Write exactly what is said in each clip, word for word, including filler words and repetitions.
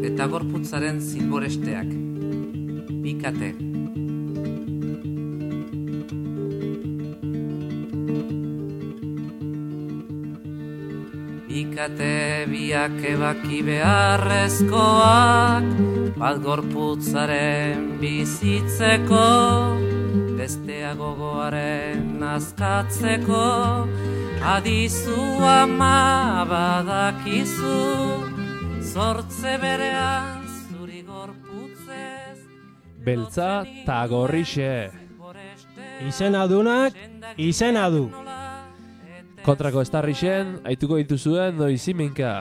eta gorputzaren zilboresteak. Bikate. Bikate biak ebaki beharrezkoak, bat gorputzaren bizitzeko, bestea gogoaren azkatzeko, adizu ama badakizu, zortze berean zuri gorputzez. Beltza ta gorrixe. Izenadunak, izena du. Kontrako estarrixen, aituko dituzuen noiziminka.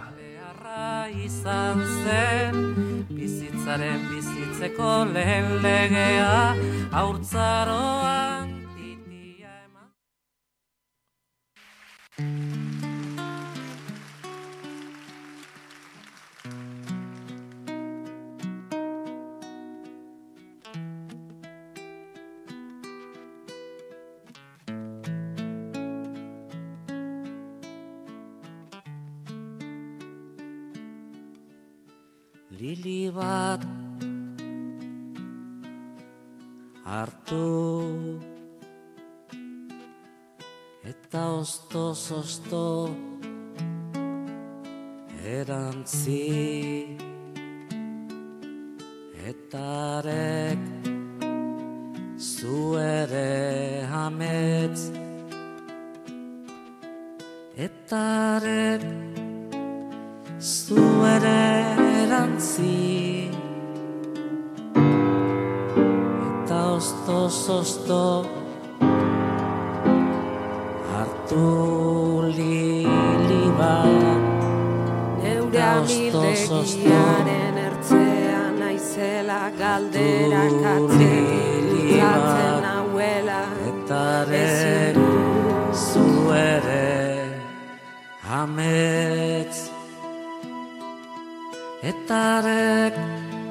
Izan zen, bizitzaren bizitzeko lehen legea, haurtzaroan titia eman. Lili bat hartu eta oztoz-ozto erantzi eta arek zu ere amets eta arek zu ere erantzi eta oztoz-ozto hartu lili bat neure amildegiaren ertzean naizela galderak atzean nauela eta arek zu ere amets eta arek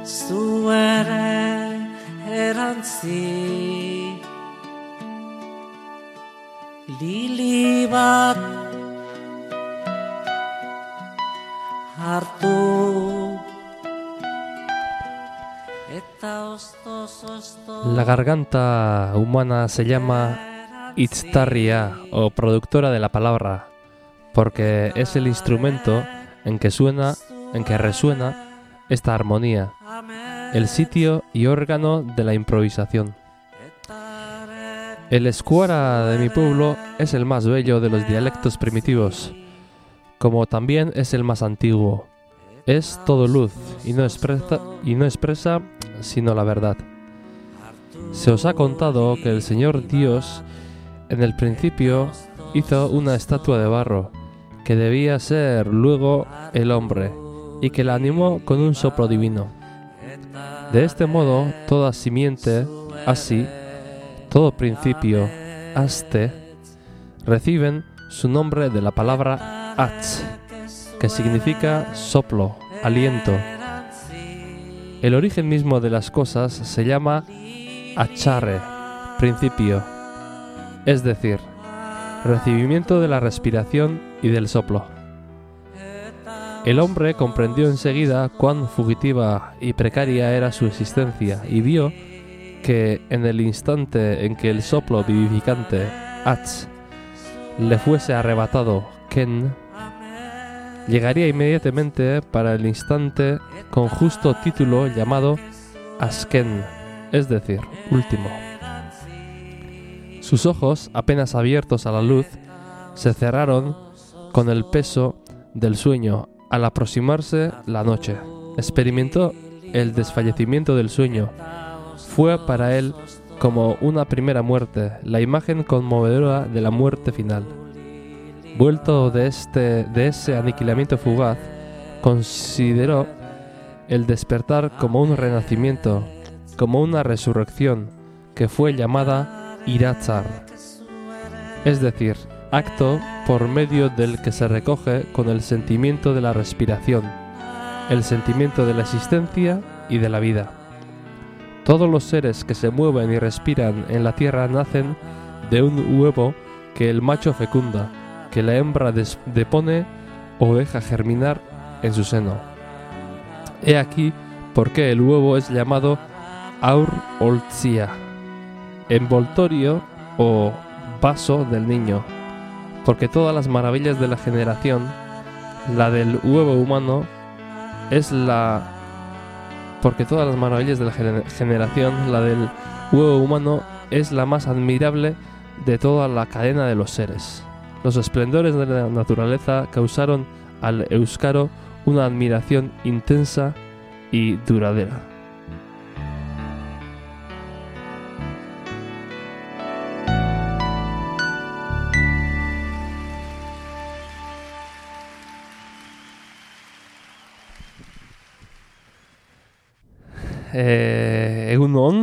zu ere erantzi lili bat hartu eta oztoz-ozto. La garganta humana se llama itztarria o productora de la palabra, porque es el instrumento en que suena en que resuena esta armonía, el sitio y órgano de la improvisación. El escuara de mi pueblo es el más bello de los dialectos primitivos, como también es el más antiguo. Es todo luz y no expresa, y no expresa sino la verdad. Se os ha contado que el Señor Dios en el principio hizo una estatua de barro, que debía ser luego el hombre, y que la animó con un soplo divino. De este modo, toda simiente, así, todo principio, aste, reciben su nombre de la palabra atz, que significa soplo, aliento. El origen mismo de las cosas se llama acharre, principio, es decir, recibimiento de la respiración y del soplo. El hombre comprendió enseguida cuán fugitiva y precaria era su existencia y vio que en el instante en que el soplo vivificante, Atz, le fuese arrebatado, Ken, llegaría inmediatamente para el instante con justo título llamado Asken, es decir, último. Sus ojos, apenas abiertos a la luz, se cerraron con el peso del sueño. Al aproximarse la noche, experimentó el desfallecimiento del sueño. Fue para él como una primera muerte, la imagen conmovedora de la muerte final. Vuelto de, este, de ese aniquilamiento fugaz, consideró el despertar como un renacimiento, como una resurrección, que fue llamada Iratzar, es decir, acto por medio del que se recoge con el sentimiento de la respiración, el sentimiento de la existencia y de la vida. Todos los seres que se mueven y respiran en la tierra nacen de un huevo que el macho fecunda, que la hembra depone o deja germinar en su seno. He aquí por qué el huevo es llamado aur-oltzia, envoltorio o vaso del niño, porque todas las maravillas de la generación, la del huevo humano, es la... porque todas las maravillas de la gener- generación, la del huevo humano, es la más admirable de toda la cadena de los seres. Los esplendores de la naturaleza causaron al euskaro una admiración intensa y duradera. Eh, egun on,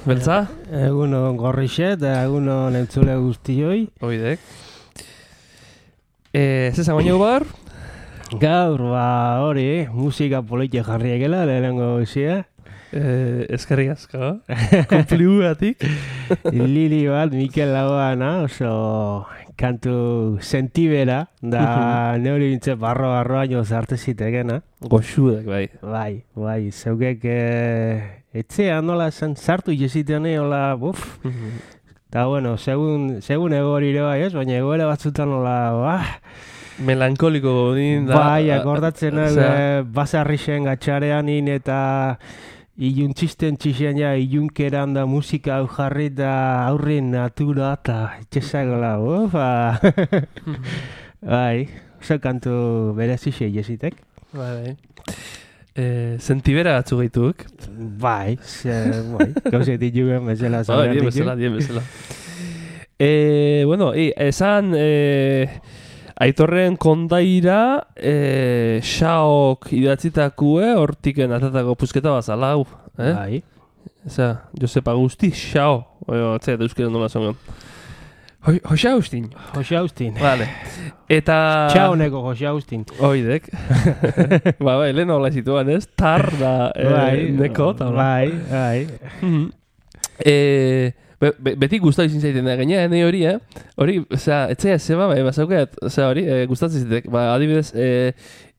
beltza? Egun on gorrixe eta egun on entzule guztioi. Oidek. Eh, Zesa baino bar? Gaur, ba, hori, musika politia jarri egela, lehenengo izia. Eh, eskerrik asko. Konpliugatik. Lili bat, Mikel Lagoana, oso kantu sentibera, da neuri bintze barro-barro haino zarte zitekena. Goxudak, bai. Bai, bai, zeukek eh, etxean nola esan sartu jesitean hola, buf. Eta, bueno, segun, segun egorire bai, ez? Baina egoera batzutan nola, bah, Melankoliko din da. bai, akordatzen o hau, sea, eh, basarrixen gatxarean in eta iluntzisten txixen ja, ilunkeran da musika hau jarri da aurrin natura eta etxezagola, ufa. Bai, oso kantu berezixe jesitek. Bai, bai. Eh, sentibera batzu gaituk. Bai, ze, bai, gauzet ditugen bezala. Bai, dien bezala, dien bezala. Eh, bueno, i, esan... Eh, Aitorren kondaira, eh, xaok idatzitako, hortiken atatako pusketa bazala, hau, eh? Bai. Eza, Josep Agusti, xao, oio, atzea, euskera nola zongen. Jose Agustin. Jose Agustin. Vale. Eta... Txaoneko Jose Agustin. Oidek. Ba, bai, lehen hola zituan, ez? Tar da, eh, Bai, neko, eta hola. bai, bai. Mhm. Eh... Be, be, beti gustatu izin zaiten da, gaina, ne hori, eh? Hori, osea, etzea, zeba, bai, bazaukeat, osea, hori, e, gustatzen zitek. Ba, adibidez, e,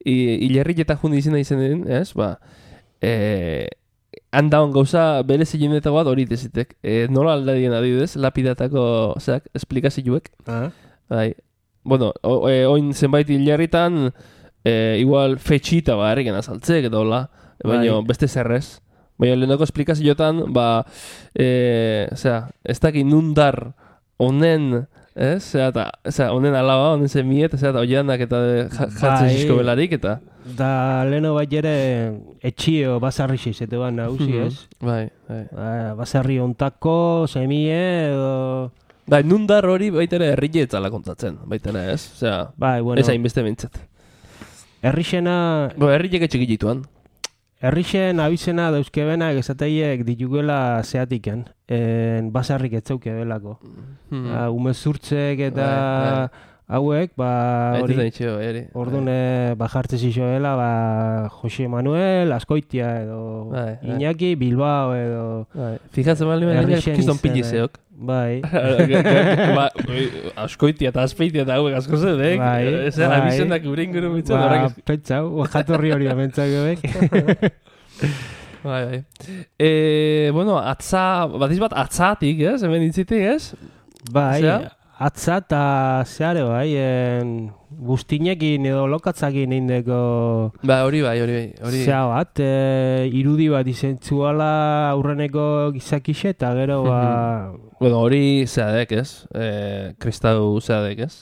hilerrik eta jundi izena izen den, ez? Ba, e, handaon gauza bere zilenetako bat hori dezitek. E, nola aldadien adibidez, lapidatako, oseak, esplikazioek. Ah. Bai, bueno, o, e, oin zenbait hilerritan, e, igual fetxita ba, erreken azaltzek, edo hola, baina beste zerrez. Baina lehenako esplikazioetan, ba, e, osea, ez dakit nundar honen, ez? Osea, osea, honen alaba, honen zemiet, osea, eta oianak eta jartzen Bai. zizko belarik, eta... Da leheno bat ere etxio basarri xizete bat nahusi, Mhm. ez? Bai, bai. Ba, basarri ontako, semie, edo... Bai, nundar hori baitere herrile etzala kontatzen, baitere, ez? Osea, Bai, bueno, ez hainbeste bintzat. herrixena, Bo, herrilek etxik dituan. herrixen abizena dauzkebenak esateiek ditugela zeatiken, en basarrik etzauke belako. Hmm. Ah, umezurtzek eta Bai, hauek, ba, Bai, hori, ez da itxeo, eri. orduan eh, ba jartze zizoela, ba, Jose Manuel, Azkoitia edo Bai, bai. Iñaki, Bilbao edo... Bai. Fijatzen bali baina Herrixen kiston izena. pilizeok. Bai, ba, askoitia eta azpeitia eta hauek asko zedek. Bai, Ez bai. abizendak gure inguru mitzen ba, horrek. pentsau, jatorri hori amentzagoek. Bai, bai. E, bueno, atza, batiz bat atzatik, ez? Hemen intzitik, ez? Bai, Zea? atza eta zeare bai, en, guztinekin edo lokatzakin indeko Ba, hori bai, hori bai. Hori... zea bat, e, irudi bat izentzuala aurreneko gizakixe eta gero ba... Bueno, hori zeadek, ez? E, kristau zeadek, ez?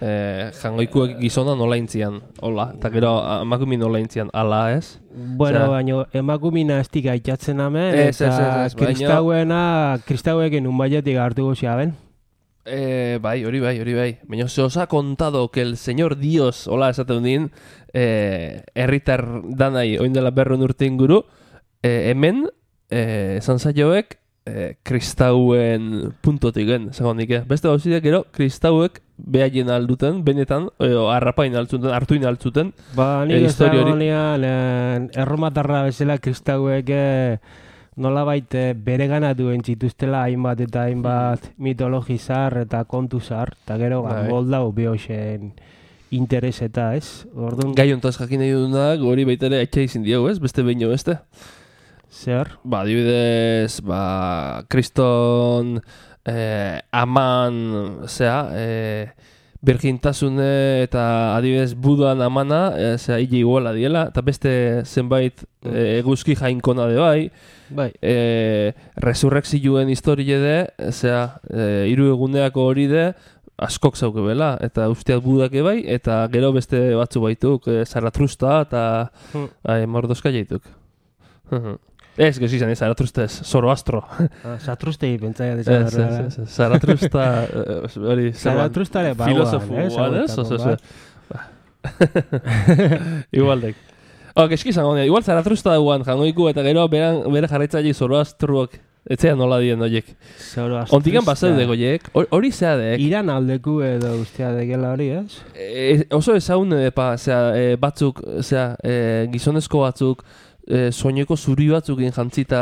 E, jangoikuek gizona nola intzian, hola. Eta gero amakumi nola intzian, ala, ez? Bueno, Osea- baino emakumina estik aitzatzen hemen, Ez, ez, eta ez, ez, baino- kristauena, kristauekin unbaietik hartu guzia ben. Eh, bai, hori bai, hori bai. Baina se os ha contado que el señor Dios, hola, esaten din, eh, herritar danai oin dela berrehun urte inguru, eh, hemen, eh, esan zaioek, eh, kristauen puntotik gen, segondik, eh. Beste gauzideak gero, kristauek behaien alduten, benetan, edo harrapain altzuten, hartuin altzuten. Ba, Eh, nik ez historia hori. dagoenean, eh, erromatarra bezala kristauek eh, nolabait eh, bereganatu entzituztela hainbat eta hainbat mitologi zar eta kontu zar, eta gero ba, Bai. moldau behoxen interes eta, ez? Orduan, Gai hontaz jakin nahi dunak, hori baita ere atxa izin diegu, ez? Beste behin beste. zer? Ba, adibidez, ba, kriston eh, aman, zera, eh, birgintasune eta adibidez budan amana, eh, zera, hile iguala diela, eta beste zenbait eh, eguzki jainkona de bai, Bai, eh, resurrekzioen historie de, zera, eh, hiru eguneako hori de, askok zauke bela, eta usteat budak bai, eta gero beste batzu baituk, eh, Zaratrusta eta Hmm. eh, Mordozka jaituk. Ez, gezi izan, ez, Zaratrusta ez, Zoroastro. ah, Zatrustegi pentsaia Ez, desa ez, ez, ez, Zaratrusta, eh, hori, Zaratrustare bauan, filosofu eh, guan, ez? zaguetako Oso, bat. Igualdek. Oh, eski izan gona, igual Zaratrusta guan jangoiku eta gero beran, bere jarraitzaile Zoroastruok, etxean nola dien, oiek. Zoroastrusta. Ontikan pasaude goiek, hori zeadek. Iran aldeku edo ustea degela hori, ez? E, oso ezagun epa, zera, e, batzuk, zera, e, gizonezko batzuk, e, soineko zuri batzukin jantzita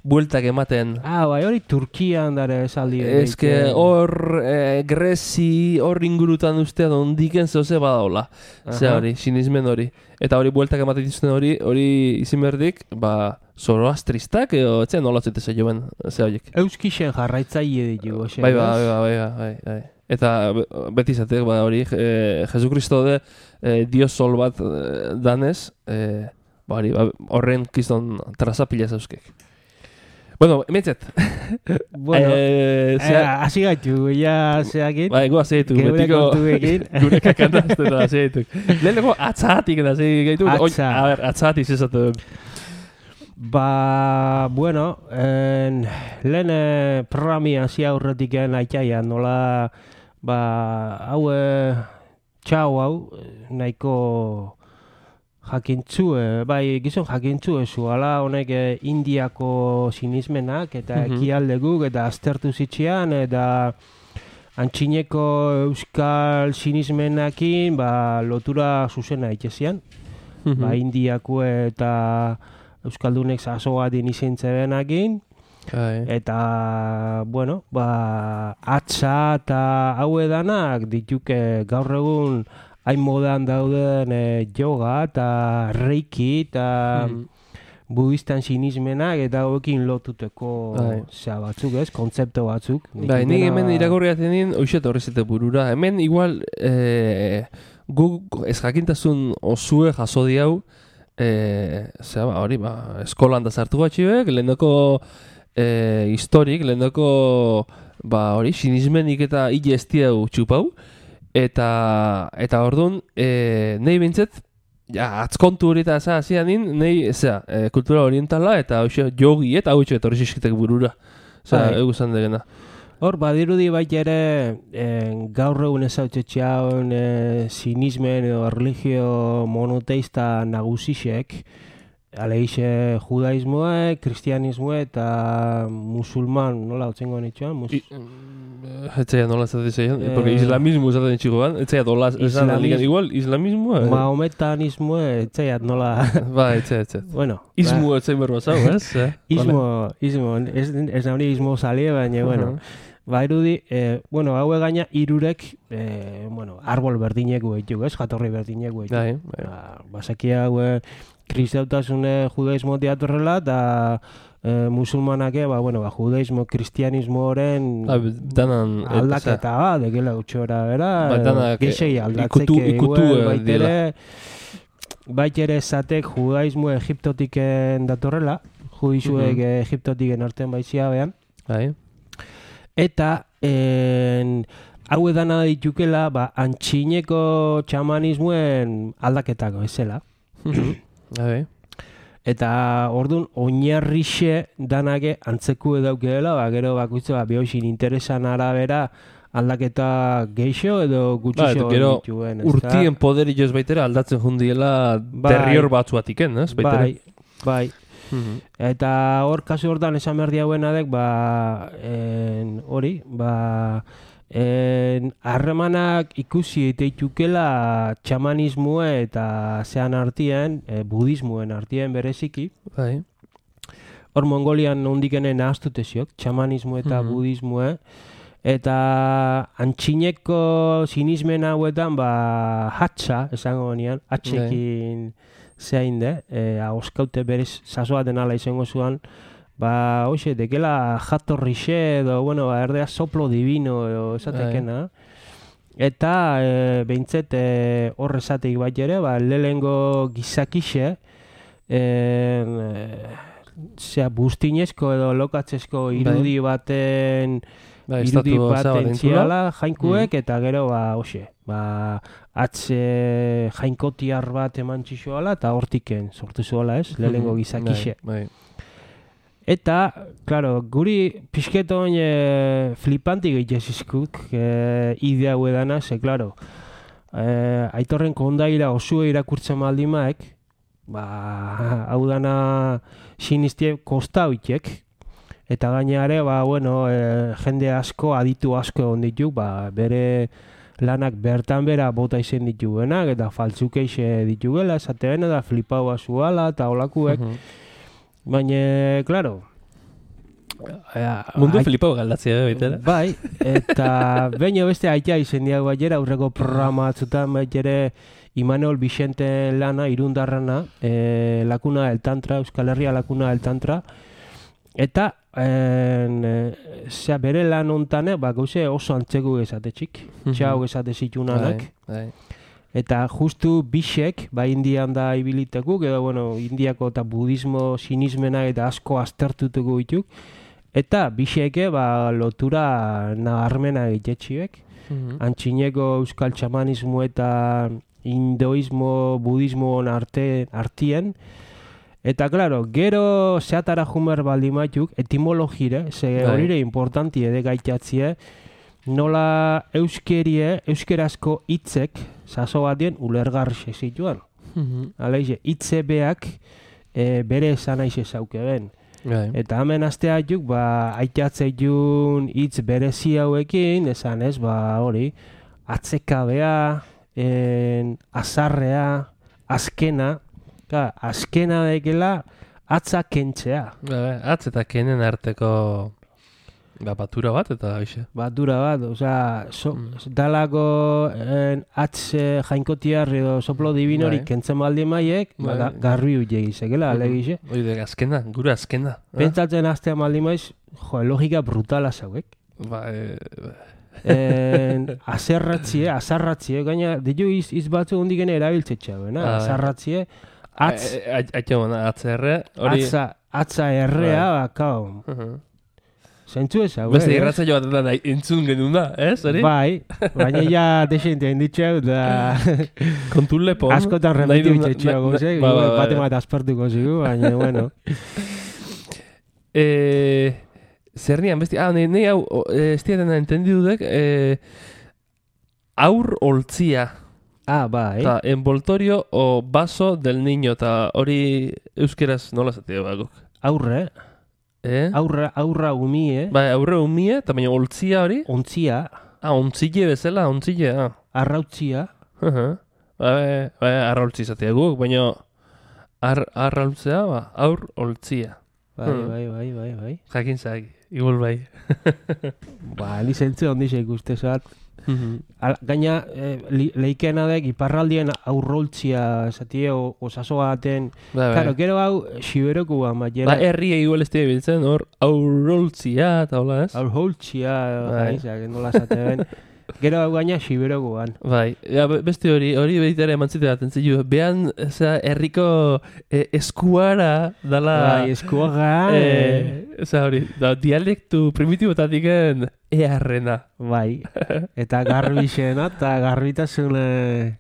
bueltak ematen. Ah, bai, hori Turkian dare esaldi. Ez que hor e, Grezi, hor ingurutan ustean ondiken zehoze badaola. Zera hori, sinismen hori. Eta hori bueltak ematen dituzten hori, hori izin berdik, ba, Zoroastristak, edo etxean nola zuteze joen, zera horiek. Euskixen jarraitzaile ditu, oxe. Bai, bai, bai, bai, bai, bai, bai. Eta be- beti izatek, ba, hori, e, Jesukristo de e, Dios sol bat e, danez, e, ba, hori, ba, horren kiston trazapila zauskek. Bueno, emetzet. Bueno, e, eh, hasi gaitu, ja zeakin. Ba, ego hasi dituk, Geure betiko kontuekin. gure kakantazte eta hasi dituk. Leheneko atzatik eta hasi gaitu. Atza. A ber, atzatik zezatu. Ba, bueno, en, lehen eh, programi hasi aurretik aitaia, nola, ba, hau, eh, txau hau, eh, nahiko jakintzu, eh, bai, gizon jakintzu ezu, ala honek eh, Indiako sinismenak eta Mhm. ekialdeguk eta aztertu zitzean, eta antxineko euskal sinismenakin, ba, lotura zuzena itxezian. Ba, Indiako eta euskaldunek zazoa din izintzebenakin, Bai. eta, bueno, ba, atza eta hau edanak dituke gaur egun hain modan dauden e, yoga eta reiki eta Mhm. budistan sinismenak eta hauekin lotuteko Bai. zea batzuk, ez, kontzepto batzuk. Bai, nik hemen irakurri atenin, hoxet horrezete burura. Hemen igual, e, guk ez jakintasun osue jaso diau, e, zera, ba, hori, ba, eskolan da sartu batxibek, lehendako e, historik, lehendako, ba, hori, sinismenik eta hile ez diau txupau, eta, eta orduan, e, nahi bintzet, ja, atzkontu hori eta za, hasia nin, nahi, zera, e, kultura orientala, eta hoxe, jogi, eta hau horri zizkitek burura. Osea, Bai. egu zan degena. Hor, badirudi baita ere, eh, gaur egun ezautxetxean eh, sinismen edo religio monoteista nagusixek, aleixe judaismoa, kristianismoa eta musulman, nola otzengo nitxoan? Mus... Etxea nola esaten zeian, Eh, porque islamismo esaten txiko ban, etxea dola esan islamismo- aligan, igual, islamismo, eh? Mahometanismoa, etzaiat nola... Ba, etxea, etxea. bueno, Ismu etxea berro zau, ez? Eh? Ismo, ismo, ez, ez nauri ismo salie, baina, bueno, ba, irudi, eh, bueno, haue gaina irurek, eh, bueno, arbol berdinek guetuk, ez, jatorri berdinek guetuk. Bai, bai. Ba, basaki haue kristautasune judaismo teatorrela, eta eh, musulmanake, ba, bueno, ba, judaismo, kristianismoren Ah, danan, et- aldaketa, ba, dekela utxora, bera, Ba, danak, geixei eh, aldatzeke, ikutu- ikutu, igual, eh, baitere, baitere esatek judaismo egiptotiken datorrela, judizuek Mhm. egiptotiken artean baizia behan, Bai. eta en, hau edana ditukela, ba, antxineko txamanismoen aldaketako, ezela. Bai. Eta orduan oinarrixe danake antzeku edaukeela, ba, gero bakoitza ba, behoxin interesan arabera aldaketa geixo edo Ba, gutxixo eta gero dituen, ezta? urtien poderi joz baitera aldatzen jundiela Bai. derrior batzuatiken, ez? Baitere. Bai, bai. Mhm. Eta hor kasu hortan esan behar diauenadek, ba, en, hori, ba, en, harremanak ikusi eiteitukela txamanismoa eta zean artien, e, budismoen artien bereziki. Bai. Hor Mongolian ondikenen ahaztute ziok, txamanismo eta Mhm. budismoa, Eta antxineko sinismen hauetan, ba, hatxa, esango nian, hatxekin zein de, e, ahoskaute berez sasoaten ala izango zuan, ba, hoxe, dekela jatorrixe edo, bueno, ba, erdea soplo divino edo esatekena. Eta e, behintzet e, hor esateik bat ere, ba, lehengo gizakixe, e, zera, bustinezko edo lokatzezko irudi baten, Ba, irudi baten ziala jainkuek, mm. eta gero, ba, hoxe, ba, atze jainkotiar bat eman txixoala, eta hortiken sortu zuela, ez, lehengo gizakixe. Bai, bai. Eta, claro, guri pixketon e, flipantik egitezizkuk e, idea hau edana, ze, claro, e, aitorren kondaira osue irakurtzen maldimaek, ba, hau dana sinistie kostauitek, eta gainare, ba, bueno, e, jende asko, aditu asko egon dituk, ba, bere lanak bertan bera bota izen dituguenak, eta faltzukeixe ditugela, esatean, eta flipau azuala, eta olakuek, Uh-huh. baina, claro, mundu flipau galdatzea, baitera. bai, eta baina beste aitea izen diago baitera, aurreko programa atzutan baitera Imanol Vicente lana, irundarrana, e, lakuna del tantra, Euskal Herria lakuna del tantra, eta en, e, zera, bere lan ontane, ba, gauze oso antzeko gezatetxik, txau gezate zitunanak, Bai, bai. eta justu bisek, ba, Indian da ibilitekuk, edo, bueno, Indiako eta budismo sinismena eta asko aztertutuko dituk, eta biseke, ba, lotura nabarmena egitetxiek, Uh-huh. antxineko euskal txamanismo eta hinduismo, budismo arte, artien, eta, claro, gero zeatara jumer baldimatuk, etimologire, ze Bai. horire importanti edegaitatzie, nola euskerie, euskerazko hitzek, saso batien, ulergarri zituan. Uh-huh. Aleize, hitze beak e, bere esan aize zauke ben. Bai. Eta hemen asteatuk, ba, aitatzeiun hitz berezi hauekin, esan ez, ba, hori, atzekabea, en, azarrea, azkena, ka, azkena dekela, atza kentzea. Bai, atz eta kenen arteko ba, batura bat, eta hoxe. Batura bat, osea, so, Mm. dalako en, atz eh, jainkotiar edo soplo divinori Bai. kentzen baldi maiek, Bai. ba, garbi uiek izekela, Mhm. alegize. Oide, azkena, gure azkena. eh? Pentsatzen astea maldi maiz, jo, logika brutala zauek. Ba, e, En, azerratzie, azarratzie, gaina, ditu iz, iz batzu hondik ene erabiltzetxea, bena? Ah, bai. Azarratzie, atz, Aitxo mana, atzerre, hori... atza, atza errea, Bai. ba, kao, Uh-huh. zentzu ez hau, Beste eh, irratza jo bat da entzun genuna, ez, hori? Bai, baina ja desente inditxeu, da Kontun lepon. askotan nahi remitiu duna- itxetxea na- gozek, ba, ba, ba, bate ba. bat aspertuko zigu, baina, bueno. Eh, zer nian, besti, ah, nahi, nahi hau, o, eh, ez diatena entendidudek, eh, aur oltzia, Ah, bai, eta envoltorio o vaso del niño, eta hori euskeraz nola zatea bagok. aurre, Eh? aurra, aurra umie, Ba, aurre umie, eta baina oltzia hori, ontzia, ah, ontzile bezala, ontzile, ah. arrautzia, Uh-huh. Ba, ba, arraultzi zatea guk, baina ar, arraultzea, ba, aur oltzia. bai, Hmm. bai, bai, bai, bai. Jakin zaki, igual bai. Ba, ni zentzu ondize ikuste zat. Al, gaina, eh, li, leikena dek, iparraldien aurroltzia, esatie, o- osaso baten. Ba, bai. Claro, gero hau, siberoku ba, Ba, maiera. herria igual ez dira biltzen, hor, aurroltzia, eta hola, ez? Aurroltzia, Bai. bai, zake, nola esateben. Gero hau gaina siberokuan. Bai, ja, be- beste hori, hori behitare eman zite bat, entzitu, behan, eza, herriko eh, eskuara, dala... Bai, eskuaga, eh, eh, eza hori, da, dialektu primitibotatik earrena. bai. Eta garbixena, eta garbitasun... eh,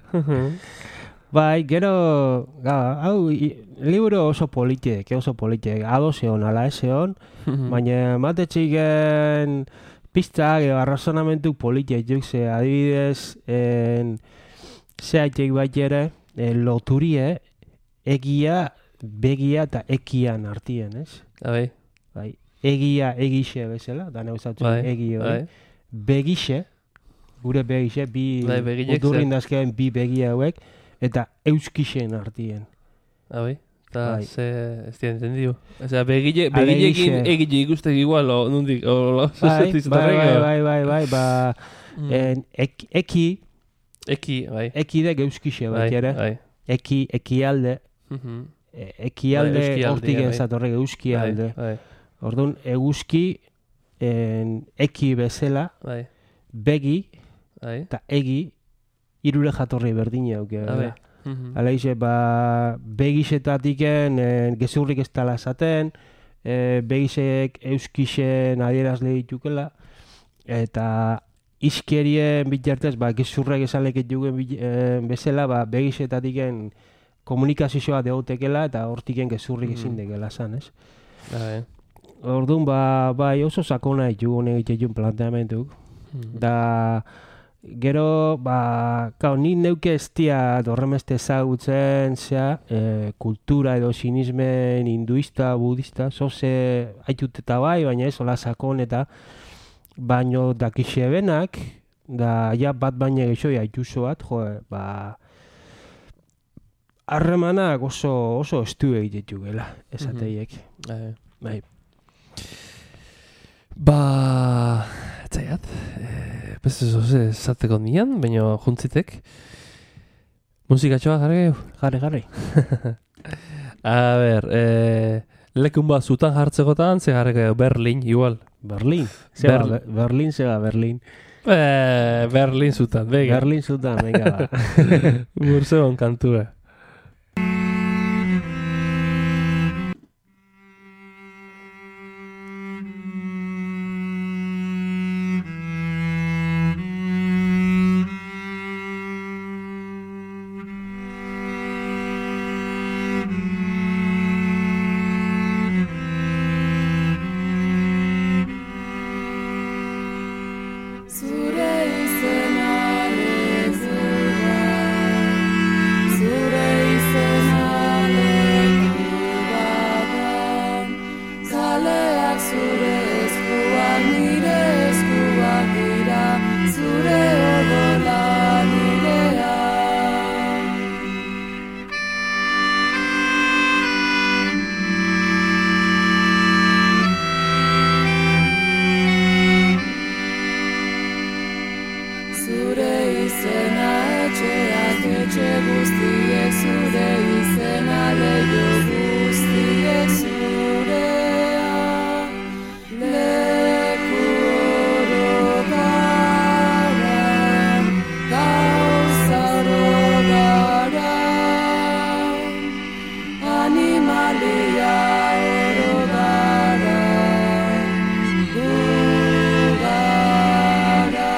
Bai, gero, ga, hau, i, libro oso politek, oso politek, ados egon, ala ez egon, baina matetxiken pistak edo arrazonamentu politek juk, ze adibidez, en, zehaitek bat ere, en, loturie, egia, begia eta ekian artien, ez? Bai, Bai, egia, egixe bezala, da neuzatzu, bai, egi hori. bai. Begixe, gure begixe, bi Bai, begilek udurrin dazkeen bi begi hauek, eta euskixen artien. Bai, eta bai. ze, ez dira entendiu. Osea, begile, begilekin Alegixe. egile ikustek igual, o nundik, o lo, Bai, zuzetiz bai, bai, torrego. bai, bai, bai, ba, Mm. en, ek, eki, Eki, bai. eki de euskixe Bai, bat ere, bai. eki, ekialde, Mhm. e, ekialde Bai, euskialde, hortik bai. ez datorrek euskialde. Bai, bai, Orduan, eguzki, en, eki bezala, bai, begi bai. eta egi, irure jatorri berdina auke. Ah, bai. Mhm. Alaixe, ba, begisetatik gezurrik ez tala esaten, e, begisek euskixen adierazle ditukela, eta iskerien bitartez, ba, gezurrek esalek ditugen e, bezala, ba, begisetatik komunikazioa deotekela, eta hortiken gezurrik Mm. ezin dekela zan, ez? Bai. Orduan, ba, bai, oso sakona ditugun egiten planteamentuk. Mhm. Da, gero, ba, kao, ni neuke ez dia horremeste ezagutzen, zea, e, kultura edo sinismen hinduista, budista, zoze haitut eta bai, baina ez, hola sakon eta baino dakixe benak, da, ja, bat baina gehiago haituzo bat, jo, ba, harremanak oso, oso estu egitetu gela, esateiek. Bai. Bai. Ba, etzaiat, e, beste zoze esateko nian, baina juntzitek. Musikatxoa jarri gehu? Jarri, jarri. A ber, e, lekun bat zutan jartzekotan, ze jarri gehu, Berlin, igual. Berlin. Zeba, Berlin. Ber- Berlin, zeba, Berlin. E, Berlin zutan, bega. Berlin zutan, venga, ba. Burzeon kantua. Zure izena lezura, zure izena lekubadan, kaleak zure eskuak nire eskuak dira, zure odola nirea. Zure izena etxeak etxe guztiek, zure izena leiho guztiek zurea. Leku oro gara, gauza oro gara, animalia oro gara, gu gara.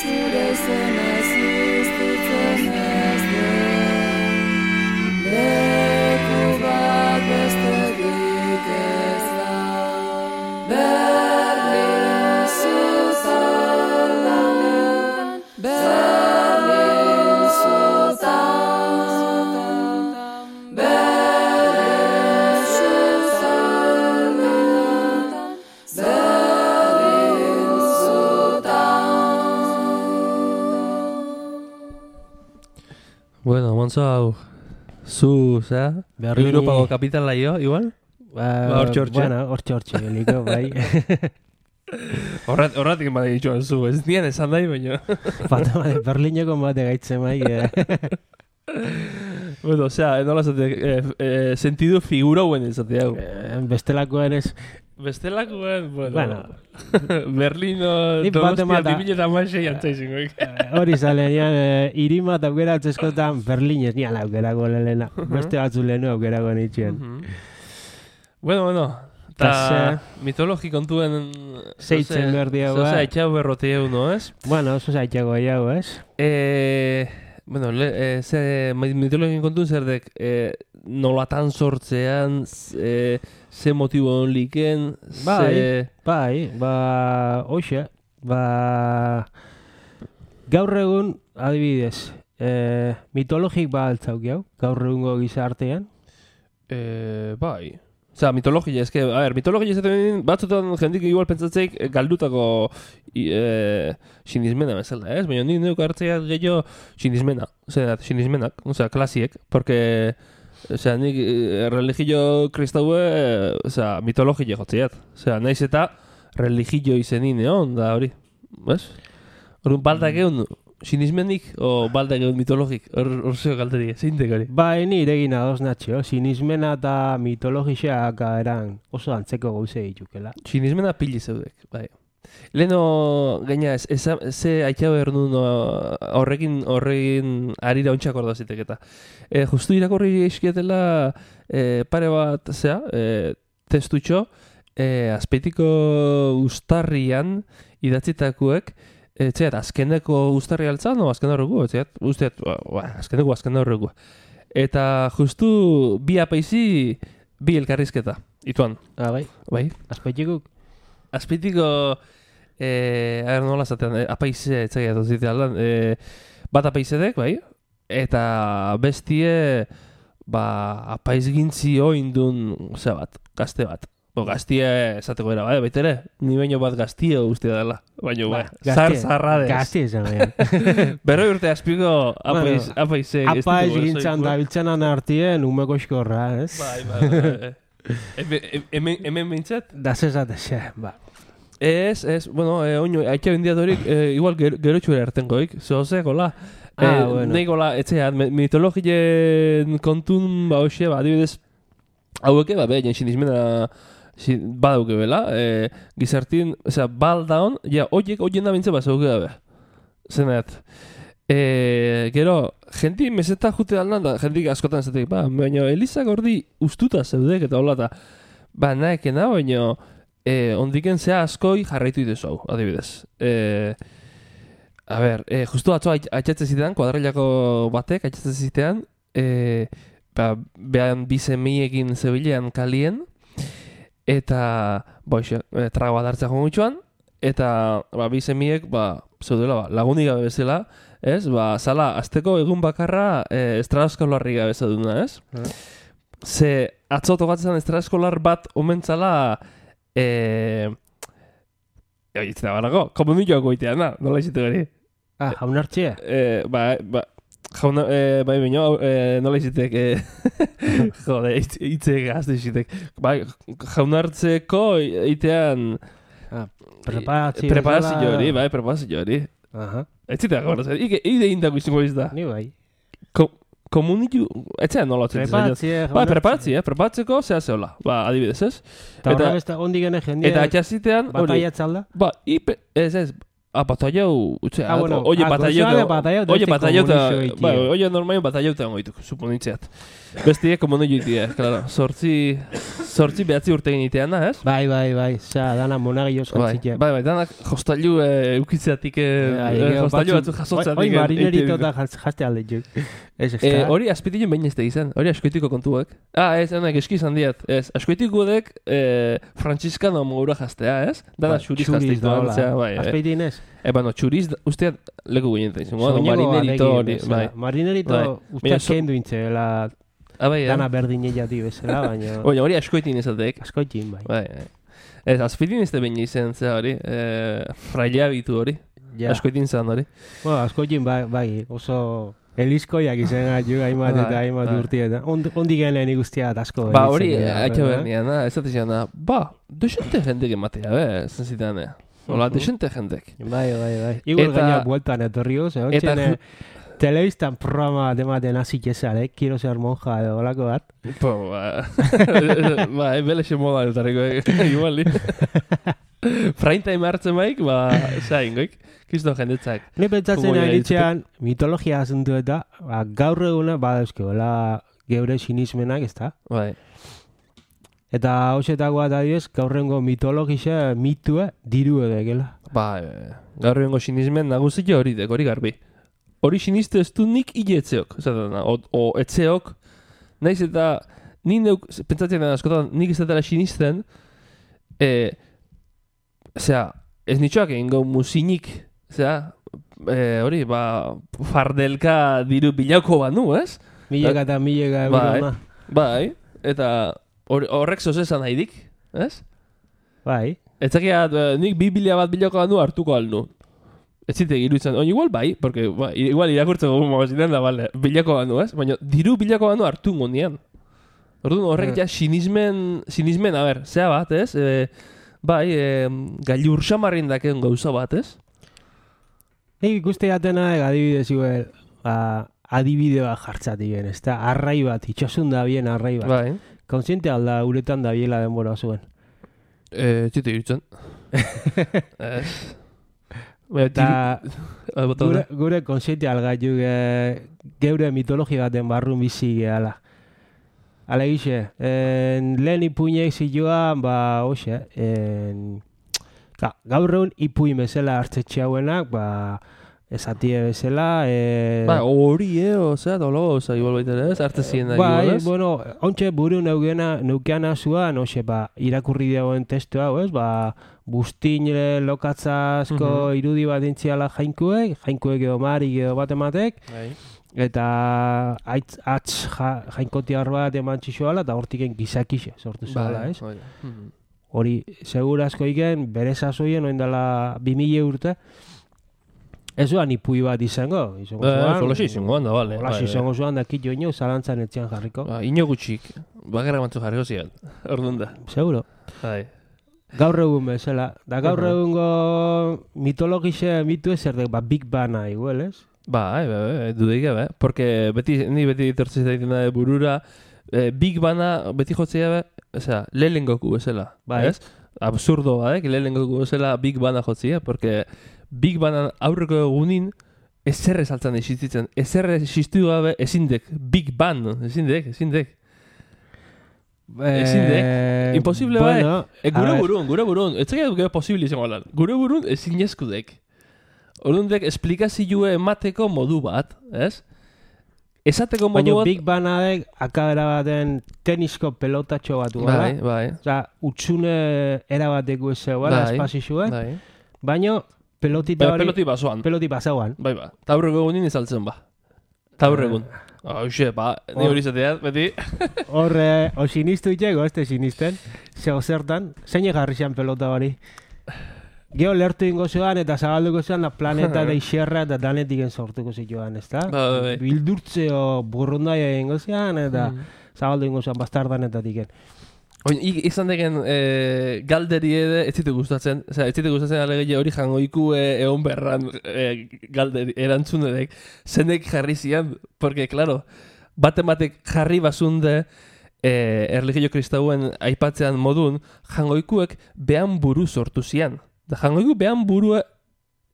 Zure izena existitzen ez den, leku bat besterik ez da. Berlin zutan, Berlin zutan, Berlin zutan, Berlin zutan. Bueno, Monzo hau, zu, zera? Berlini- Europako kapitala jo, igual? Ba, Ba, hortxe, hortxe. Bueno, hortxe hortxe geliko, bai. Horrat, horratik ema ditxoan zu, ez nien esan nahi, baina. Bata bade, Berlineko bate gaitzen bai. Eh. Bueno, osea, nola zate, eh, eh, sentidu figura huen izate hau. Eh, Bestelakoen ez, Bestelakoen, bueno, Bueno. Berlino, Nik bate Donostia, mata- bi mila eta hamasei antzaizingoik. eh, hori zale, nian, eh, irima eta aukera atzezkotan Berlinez nian aukerako lehena. Beste batzu lehenu aukerako nitxien. Mhm. Bueno, bueno, Ta eta mitologi kontuen... Zeitzen behar diagoa. Zoza, etxau berrote hau, no, ez? Bueno, oso zaitxako jau, ez? Eh, bueno, le, eh, ze mitologien kontuen zer dek, eh, nolatan sortzean, eh, ze motibo liken, Bai. ze... Bai, ba, hoxe, ba... Gaur egun, adibidez, eh, mitologik ba altzauk jau, gaur egungo gizartean. Eh, bai. Osea, mitologia, eske, a ver, mitologia izaten batzutan jendik igual pentsatzeik eh, galdutako i, eh, sinismena bezala, ez? Baina nik neuk hartzea gehiago sinismena, osea, sinismenak, osea, klasiek, porque, osea, nik eh, religio kristaue, eh, osea, mitologia jotziat. Osea, naiz eta religio izenin egon da hori, bez? Orduan baldak egun sinismenik o baldak egun mitologik, hor hor zeo galteri, zeintek hori? Ba, ni iregin adoz natxo, sinismena eta mitologiak eran oso antzeko gauze ditukela. Sinismena pili zeudek, bai. Leno, gaina, ez, ez, ze aitxau ernun horrekin, horrekin arira ontsak orda zitek eta. E, justu irakorri eskietela e, pare bat, zea, e, testutxo, e, azpeitiko ustarrian idatzitakuek, etxeat, azkeneko ustarri altzan, no, azken horregu, etxeat, usteat, ba, azkeneko, azken horregu. Eta justu bi apaizi, bi elkarrizketa, ituan. Ah, bai, Bai? azpeitikuk. Azpeitiko, eh, a ber, nola zatean, eh, apaize, etxegia dozite aldan, eh, bat apaizedek, bai? Eta bestie, ba, apaizgintzi oindun, ze bat, gazte bat. Bo, gaztie esateko era, bai, baitere, ni baino bat gaztio uste dela. Baina, bai, zar zarradez. Gazti esan, bai. Berroi urte azpiko apaiz, Bueno, apaize. Apaiz gintzan da biltzenan artien umeko eskorra, ez? Bai, bai, bai. Hemen, hemen, hemen bintzat? Da zezat xe, ba. Ez, ez, bueno, eh, oino, aitea bendiatorik, eh, igual ger, gerotxuera ertengoik, zehozeko la. Ah, eh, bueno. Neiko la, etxean, mitologien kontun, ba, hoxe, ba, adibidez, haueke, ba, behin, sinismena badauke bela, eh, gizartin, osea, baldaon, ja, oiek, oien da bintze, ba, zauke dabe. Zenet, eh, gero, jenti meseta jute aldan da, jentik askotan zatek, ba, baina Elizak ordi ustuta zeudek eta hola, eta, ba, naekena, baina, eh, ondiken zea askoi jarraitu idezu hau, adibidez. Eh, a ber, eh, justu atzo atxatze zitean, kuadrilako batek atxatze zitean, eh, ba, behan bizemiekin zebilean kalien, eta, boixe, e, trago bat hartzea jongutxuan, eta, ba, bizemiek, ba, zeudela, ba, lagunik gabe bezala, ez, ba, zala, azteko egun bakarra e, estraskolarri gabe zeuduna, ez? Eh. Ze, atzo tokatzen estraskolar bat omentzala, e, oitzena barago, komunikoako itean, na, nola izite gari? Ah, jaunartxea. E, ba, ba, jauna, e, bai baino, e, nola izitek, e, jode, itze gazte izitek. Bai, jaunartzeko itean Preparazio. preparazio hori, bai, preparazio hori. Aha, Ez zitea gauratzen, ike, ide indako izango izda. ni bai. Ko, komunitu, etxean nola atzen. Preparazio. Ba, preparatzea, preparatzeko zea zehola. Ba, adibidez, ez? Eta eta- horrek ez da, ondik gene jendea. Eta atxazitean, hori, Bataiatzalda. ba, ipe, ez ez, a bataiau, utzea, Ah, bueno, oie ah, bataiau, gozoa de bataiau, oie deste bataiau, komunizio itie. ba, oie normalen bataiau eta goituk, suponitzeat. Bestie komunio itie, claro, sortzi, sortzi behatzi urte egin ez? Bai, bai, bai. Za, dana monagioz Bai, jantzitea. bai, bai, danak jostailu e, eukitzeatik, e, jostailu batzu jasotzeatik. Hoi marinerito eta jaste alde juk. Ez ez E, da. hori azpitilen behin ez da izan, hori askoitiko kontuak. Ah, ez, enak eski izan diat, ez, askoitiko dek e, Franciscano mogura jastea, ez? Dana Bai, xuriz xuriz jasteitu da, hola. antzea, bai. E, Azpeitin ez. e, bueno, xuriz, usteat leku ginen da izan, bueno, Soñego marinerito alegin hori, bezala. bai. Marinerito Bai. usteak Baina so- kendu intzela Ah, bai, dana eh? berdin jati bezala, baina Baina hori askoitin izatek. askoitin bai. Bai, bai. Ez, azpitin ez da behin izan, zera hori, e, frailea bitu hori, Ja. askoitin zan hori. Bueno, askoitin bai, bai, oso elizkoiak izan aju hainbat Bai, eta hainbat bai. urtietan. Ond- Ondik genen ikustia asko. Ba, hori, elitzen dira, haitxe eh? bernian, da, ez dut izan, ba, desente jendek ematea, be, zen zitan, eh. Hola, Mhm. desente jendek. Bai, bai, bai. Igual Eta- gaina bueltan etorri goz, eh? eta Eta ju- telebistan programa dematen hasi kezal, eh? Quiero ser monja edo olako bat. Po, ba, ba, ebelexe moda eltarriko, igual, ni. Prime time hartzen baik, ba, zain, goik, kiston jendetzak. Ne pentsatzen Como ari ya nitzean, mitologia asuntu eta, ba, gaur eguna badauzkeola geure sinismenak, ez da? Bai, Eta hausetakoa da diez, gaurrengo mitologisa mitue diru edekela. ba, e, gaur egongo sinismen nagusio hori dek, hori garbi. Hori siniste ez du nik hile etzeok, esaten da, o, o etzeok, naiz eta, ni neuk, pentsatzen da askotan, nik ez dela sinisten, e, osea, ez nitxoak egin gau musinik, zera, e, hori, ba, fardelka diru bilako banu, ez? Mileka eta mileka Bai, euro. bai, eta hor- horrek zozesan nahidik, ez? Bai. Etzakia, nik bi bila bat bilako banu hartuko alnu. Ez zite iruditzen, oin igual bai, porque ba, igual irakurtzeko mozitzen da, bale, bilako banu, ez? Baina diru bilako banu hartu ngondian. Orduan horrek ja sinismen, sinismen, a ber, zea bat, ez? E, bai, e, gailur xamarrin daken gauza bat, ez? Nik ikuste jatena, adibidez, igual, ba, adibide bat jartzatik gen, ez da, arrai bat, itxasun da bien arrai bat. Bai. Kontziente alda uretan da biela denbora zuen. E, txite irutzen. Ez. Baina, Eta diru- bota gure, da. gure kontziente algaitu geure mitologia baten barrun bizi gehala. Hala gixe, en, lehen ipuinek zioan, ba, hoxe, en, ka, gaur egun ipuin bezala hartzetxe hauenak, ba, esatie bezala, e, Ba, hori, eh, osea, dolago, oza, igual baita ere, ez? Arte ziren da, bai, igual, ez? bueno, ontxe buru neukena, neukeana zuan, hoxe, ba, irakurri dagoen testu hau, ez, ba, bustin eh, lokatza asko Mhm. irudi bat intziala jainkuek, jainkuek edo marik edo bat ematek, Bai. eta aitz, atz ja, jainkotiar bat eman txixoala, eta hortiken gizakixe sortu zuela, ez? Bai. Mhm. Hori, segura asko iken, bere sasoien, oin dela bi mila urte, ez zuan ipui bat izango, izango Eh, zuan. Zolaxi izango handa, bale. Olaxi izango zuan, dakit jo ino, zalantzan etxean jarriko. Ba, ino gutxik, bakarra bantzu jarriko ziren, orduan da. Seguro. Bai. Gaur egun bezala. Da gaur Aha. egungo mitologixe mitu ez erdek, ba, Big Bana igual, ez? Bai, bai, bai, dudeik gabe, porque beti, ni beti etortzen zaitena de burura, eh, Big Bana beti jotzea be, osea, Lelen Goku bezala, Bai. ez? Absurdo badek, Lelen Goku bezala Big Bana jotzea, porque Big Bana aurreko egunin ezer esaltzan existitzen, ezer existitu gabe ezindek, Big Ban, ezindek, ezindek. Ezin dek. Imposible bai. bueno, E, gure a ver, burun, gure burun, ez zekit gero posible izango lan, gure burun ezin eskudek. Orduan dek, esplikazioa emateko modu bat, ez? Esateko modu Baina bat... Big Banadek akabera baten tenisko pelotatxo bat Bai, gala. bai, Osa, utxune erabateko ez zegoela, Bai, espazizuen. bai. Baina pelotita Ba, hori, peloti basoan. peloti pasauan. Bai, ba. Taurreko egunin izaltzen ba. Taurregun. Hoxe, ba, ni hori izateat, beti. Horre, o sinistu itxeko, ez te sinisten. Zego zertan, zein jarri zian pelota hori. Geo lertu ingo zuan eta zabalduko zuan la planeta da xerra eta danetiken sortuko zituan, ez da? Ba, bai, bai. Bildurtzeo burrundaia ingo zuan eta zabaldu ingo zuan bastardanetatik. Oin, ik- izan degen e, galderi ere ez zitu gustatzen, osea, ez zitu gustatzen alegeia hori jangoiku e, egon berran e, galderi, erantzunedek, zenek jarri zian, porque, claro, bate-batek jarri basunde e, erligio kristauen aipatzean modun, jangoikuek behan buru sortu zian. Da jangoiku behan burua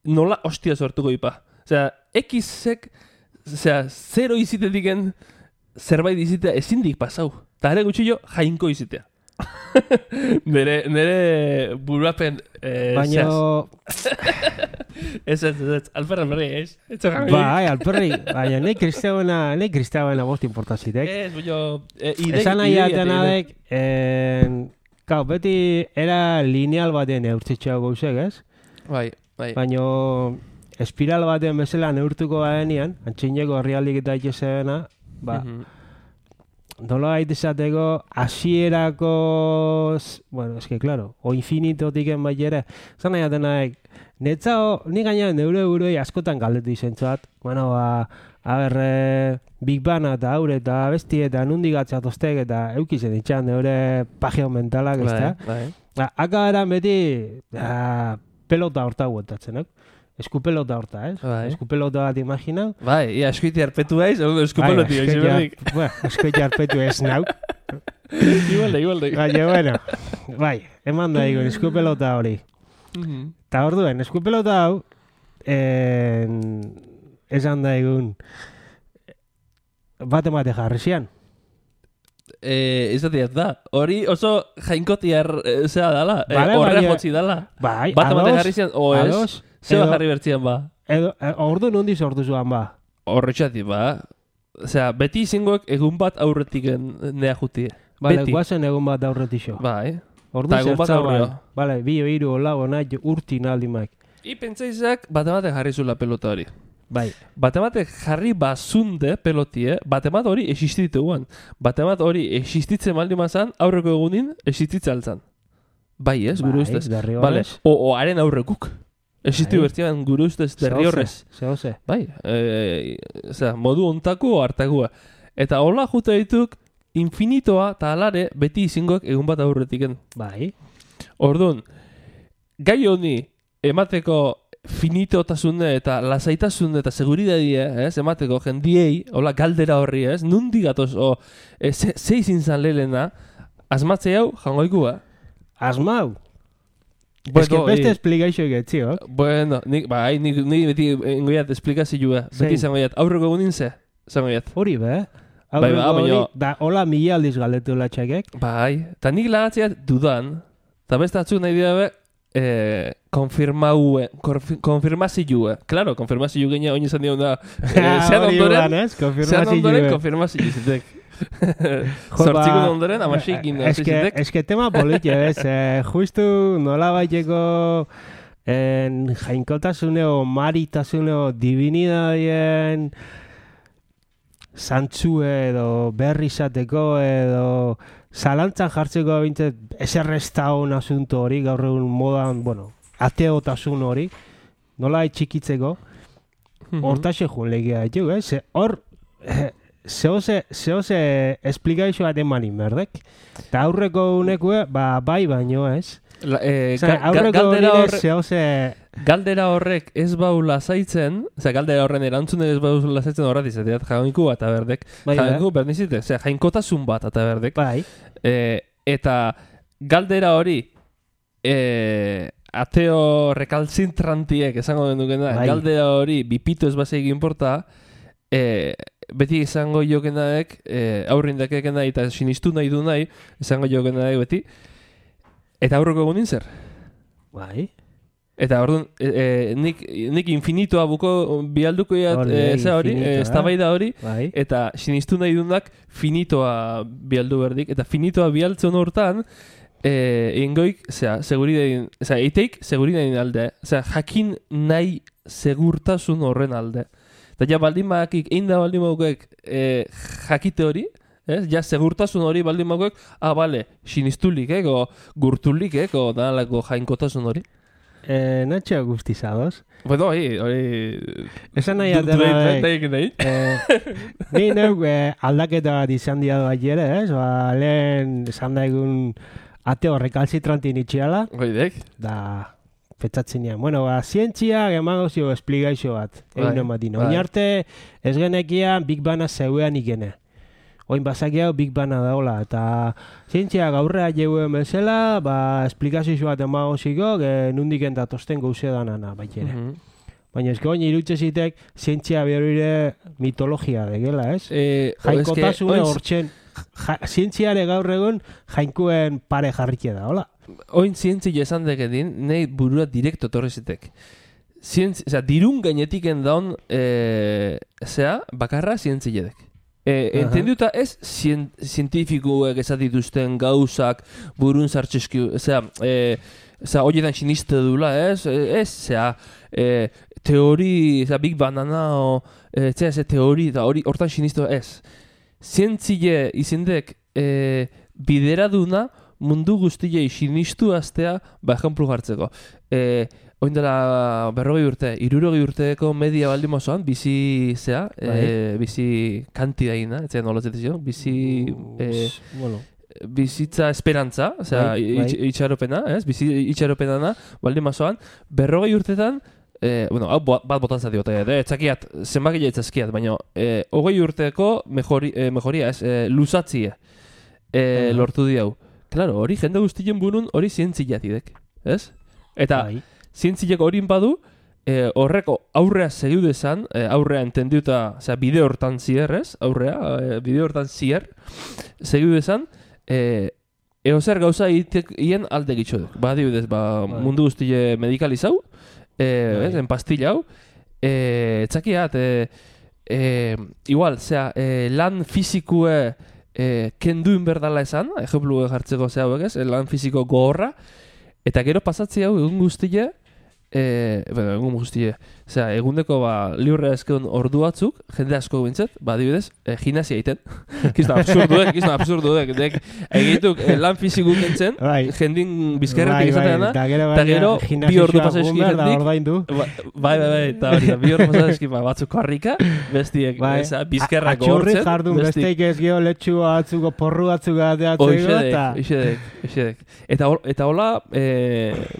nola hostia sortuko ipa. Osea, X-ek, osea, zero izitetiken zerbait izitea ezindik pasau. Ta ere gutxillo jainko izitea. nere, nere buruapen eh, Baina, Ez, ez, ez, ez, alperra berri, ez? Ez zerran bai, alperri, baina nahi kristauena, nahi kristauena bost importazitek. Ez, buño, eh, ide, Esan nahi idea atena teine. dek, en, kau, beti era lineal baten eurtzitxea gauzek, ez? Bai, bai. Baina espiral baten bezala neurtuko badenean, antxineko herrialdik eta itxezena, ba, Mhm. nola gaita izateko, hasierako, s- bueno, eske, claro, o infinitotiken bai ere, zan nahi atenaek, netzao, ni gaina neure burui askotan galdetu izentzuat, bueno, ba, a ber, eh, Big Bana eta haure eta besti eta nundik atzatoztek eta eukizen itxan neure pagio mentalak, ez da? Bai, bai. Ba, aka eran beti, ah, pelota horta guetatzen, ok? Eskupelota horta, ez? Bai. Eskupelota bat imaginau. Bai, ia eskuiti arpetu baiz, egun eskupeloti baiz, berdik. Bueno, eskuiti arpetu ez nauk. Igualde, igualde. Baina, bueno, bai, eman da egun, eskupelota hori. Mhm. Eta orduen, eskupelota hau, en, esan da egun, bat emate jarri zian. Eh, izateaz da. Hori oso jainkotiar, eh, zea dala. Eh, Bale, horre baina- jotzi dala. Bai, Bat emate ados, jarri zian, o ez? ados, Zeba edo- jarri bertzian ba. Edo, eh, ordu nondi sortu zuan ba. Horretxati ba. Osea, beti izangoek egun bat aurretik nea jutie. Bale, Beti. guazen egun bat aurretixo. Bai. Ordu Ta egun bat zertzaban. aurreo. Bale, bi hiru lau nahi urtin aldimak. I pentsaizak bate-bate jarri zula pelota hori. Bai. Bate-bate jarri bazunde pelotie, bate-bat hori existituan. Bate-bat hori existitzen baldin mazan, aurreko egunin existitze altzan. Bai, ez, gure Bai, ustez. derri Vale. horrez. O, o haren aurrekuk. Existitu Bai. bertian gure ustez derri horrez. Zehose. Bai, e, osea, modu ontako hartakua. Eta hola jute dituk, infinitoa eta alare beti izingoak egun bat aurretiken. Bai. Orduan, gai honi emateko finitotasune eta lasaitasune eta seguridadia, ez, emateko jendiei, hola galdera horri, ez, nundi gatoz, o, e, ze, ze izin zan lehena, asmatze hau jangoikua. Asmau. Bueno, Ez que beste i- esplikazio egetziok. Bueno, nik, bai, nik, nik beti engoiat esplikazioa, Zein? beti zangoiat, aurreko egunin ze, zangoiat. Hori be. Bai, Aurreko ba, baina- hori, da, hola mila aldiz galetu latxakek. Bai, eta nik lagatzeat dudan, eta beste atzuk nahi dira be, eh, konfirmaue, konfi- konfirmazioa. Claro, konfirmazio genia oin izan dion da, eh, zean Hori ondoren, ban, ez? zean Konfirmazio ondoren be. konfirmazio zitek. Jo, Zortzikun ba, ondoren, amaxikin Es que, zitek. es que tema politia, ez? Eh, justu nola baiteko en jainkotasuneo, maritasuneo, divinidadien zantzue edo berri izateko edo zalantzan jartzeko bintzat eserrezta hon asunto hori, gaur egun modan, bueno, ateotasun hori, nola txikitzeko, hortaxe joan legia ditu, eh? Ze hor, eh, zehose, zehose esplikazio bat emanin berdek. Eta aurreko unekue, ba, bai baino, ez? La, eh, Osea, ga- ga- aurreko galdera, hori horre, zehose... galdera horrek ez bau lasaitzen, osea, galdera horren erantzune ez bau lasaitzen horret izateat, jaunku bat aberdek. Bai, Jaunku berdizite, osea, jainkotasun bat aberdek. bai, Eh, eta galdera hori eh, ateo rekalzintrantiek esango den dukena, Bai. galdera hori bipito ez baseik inporta, eh, beti izango jokenaek, eh, aurrindakek nahi eta sinistu nahi du nahi, izango jokenaek beti, eta aurreko egunin zer. bai. Eta orduan, e, e, nik, nik infinitoa buko bialduko iat, Hori, e, ze hori, infinitoa. e, eztabaida hori, Bai. eta sinistu nahi dunak finitoa bialdu berdik, eta finitoa bialtzen hortan, eh, ingoik, zera, seguridadin, zera, eiteik seguridadin alde, zera, jakin nahi segurtasun horren alde. Eta ja baldin bakik, egin da baldin bakik eh, jakite hori, ez? Ja segurtasun hori baldin bakik, ah, bale, sinistulik, eko, gurtulik, eko, nalako jainkotasun hori. Eh, Natxo guztizadoz. Bueno, hori, hori... Esan nahi du- atera du- nahi. nahi- nahi. Eh, Ni neuk eh, aldaketa bat izan dia bat jere, ez? Ba, lehen esan daigun ateo rekalzitrantin itxiala, Hoidek. da petzatzen nian. Bueno, ba, zientzia emango zio esplikazio bat. Bai, Egun ematin. bai. Oin arte ez genekian Big Bana zeuean ikene. Oin bazaki hau Big Bana daola. Eta zientzia gaurrea jeuen bezala, ba, esplikazio bat emango ziko, e, nundiken datosten gauze danana, baitere. Mhm. Baina ez oin irutze zitek, zientzia berrire mitologia degela, ez? Eh, Jainkotasune oin- hortzen, ja, zientziare gaur egun jainkuen pare jarrike da, hola? Oin zientzia esan dekedin, nahi burua direkto torri zitek. Zientzi, osea, dirun gainetiken daun, e, zea, bakarra zientziedek. E, Aha. entenduta ez zien, zientifikuek esatituzten gauzak burun zartxeski, zera, e, zera, horietan siniste dula, ez? E, ez, zera, e, teori, zera, Big Banana, o, e, zera, ze teori, eta hori, hortan siniste ez. Zientzie izindek e, bideraduna mundu guztiei sinistu aztea, ba, ejemplu jartzeko. E, Oin dela berrogei urte, hirurogei urteko media baldin mozoan, bizi zea, e, bizi kantidaina, etzen nolatzen zio, bizi e, bueno, bizitza esperantza, osea, Bai, bai. itx- itxaropena, ez? Bizi itxaropena baldin mozoan, berrogei urtetan, e, bueno, hau bo- bat botan zati bota, eh, etzakiat, zenbakile etzazkiat, baina e, hogei urteko mejori, e, mejoria, ez, e, luzatzie e, Aha. lortu di hau. Claro, hori jende guztien burun hori zientziatidek, ez? Eta, bai. zientziek horin badu, e, horreko aurrea segiu dezan, e, aurrea entendiuta, osea, bide hortan zier, ez? Aurrea, e, bide hortan zier, segiu dezan, e, eozer gauza itek hien alde gitxo duk. Ba, adibidez, ba, Bai. mundu guztile medikalizau, e, Bai. ez, en pastilla hau, e, etzakiat, e, e, igual, zera, e, lan fizikue e, kenduin berdala esan, ejemplu jartzeko ze hauek ez, lan fiziko gogorra, eta gero pasatzi hau egun guztie, e, bueno, egun guztie, osea, egundeko ba, liurrea ezkeun ordu batzuk, jende asko bintzet, ba, dibidez, e, gimnasia egiten. Kizna absurduek, kizna absurduek, dek, egituk e, lan fizikuk entzen, Bai. jendin bizkerretik izatea da, eta gero, eta gero bi ordu pasa eski jendik, ordaindu. Ba- Bai, bai, bai, eta hori, da, bi hor pasadeski, ba, batzuk karrika, bestiek, Bai. eza, bizkerrak Atxurri hortzen, jardun, besteik ez gero letxu batzuko, porru batzuk ateatzeko, Oixedek, eta... oixedek, oixedek. Eta, hor- eta hola, e,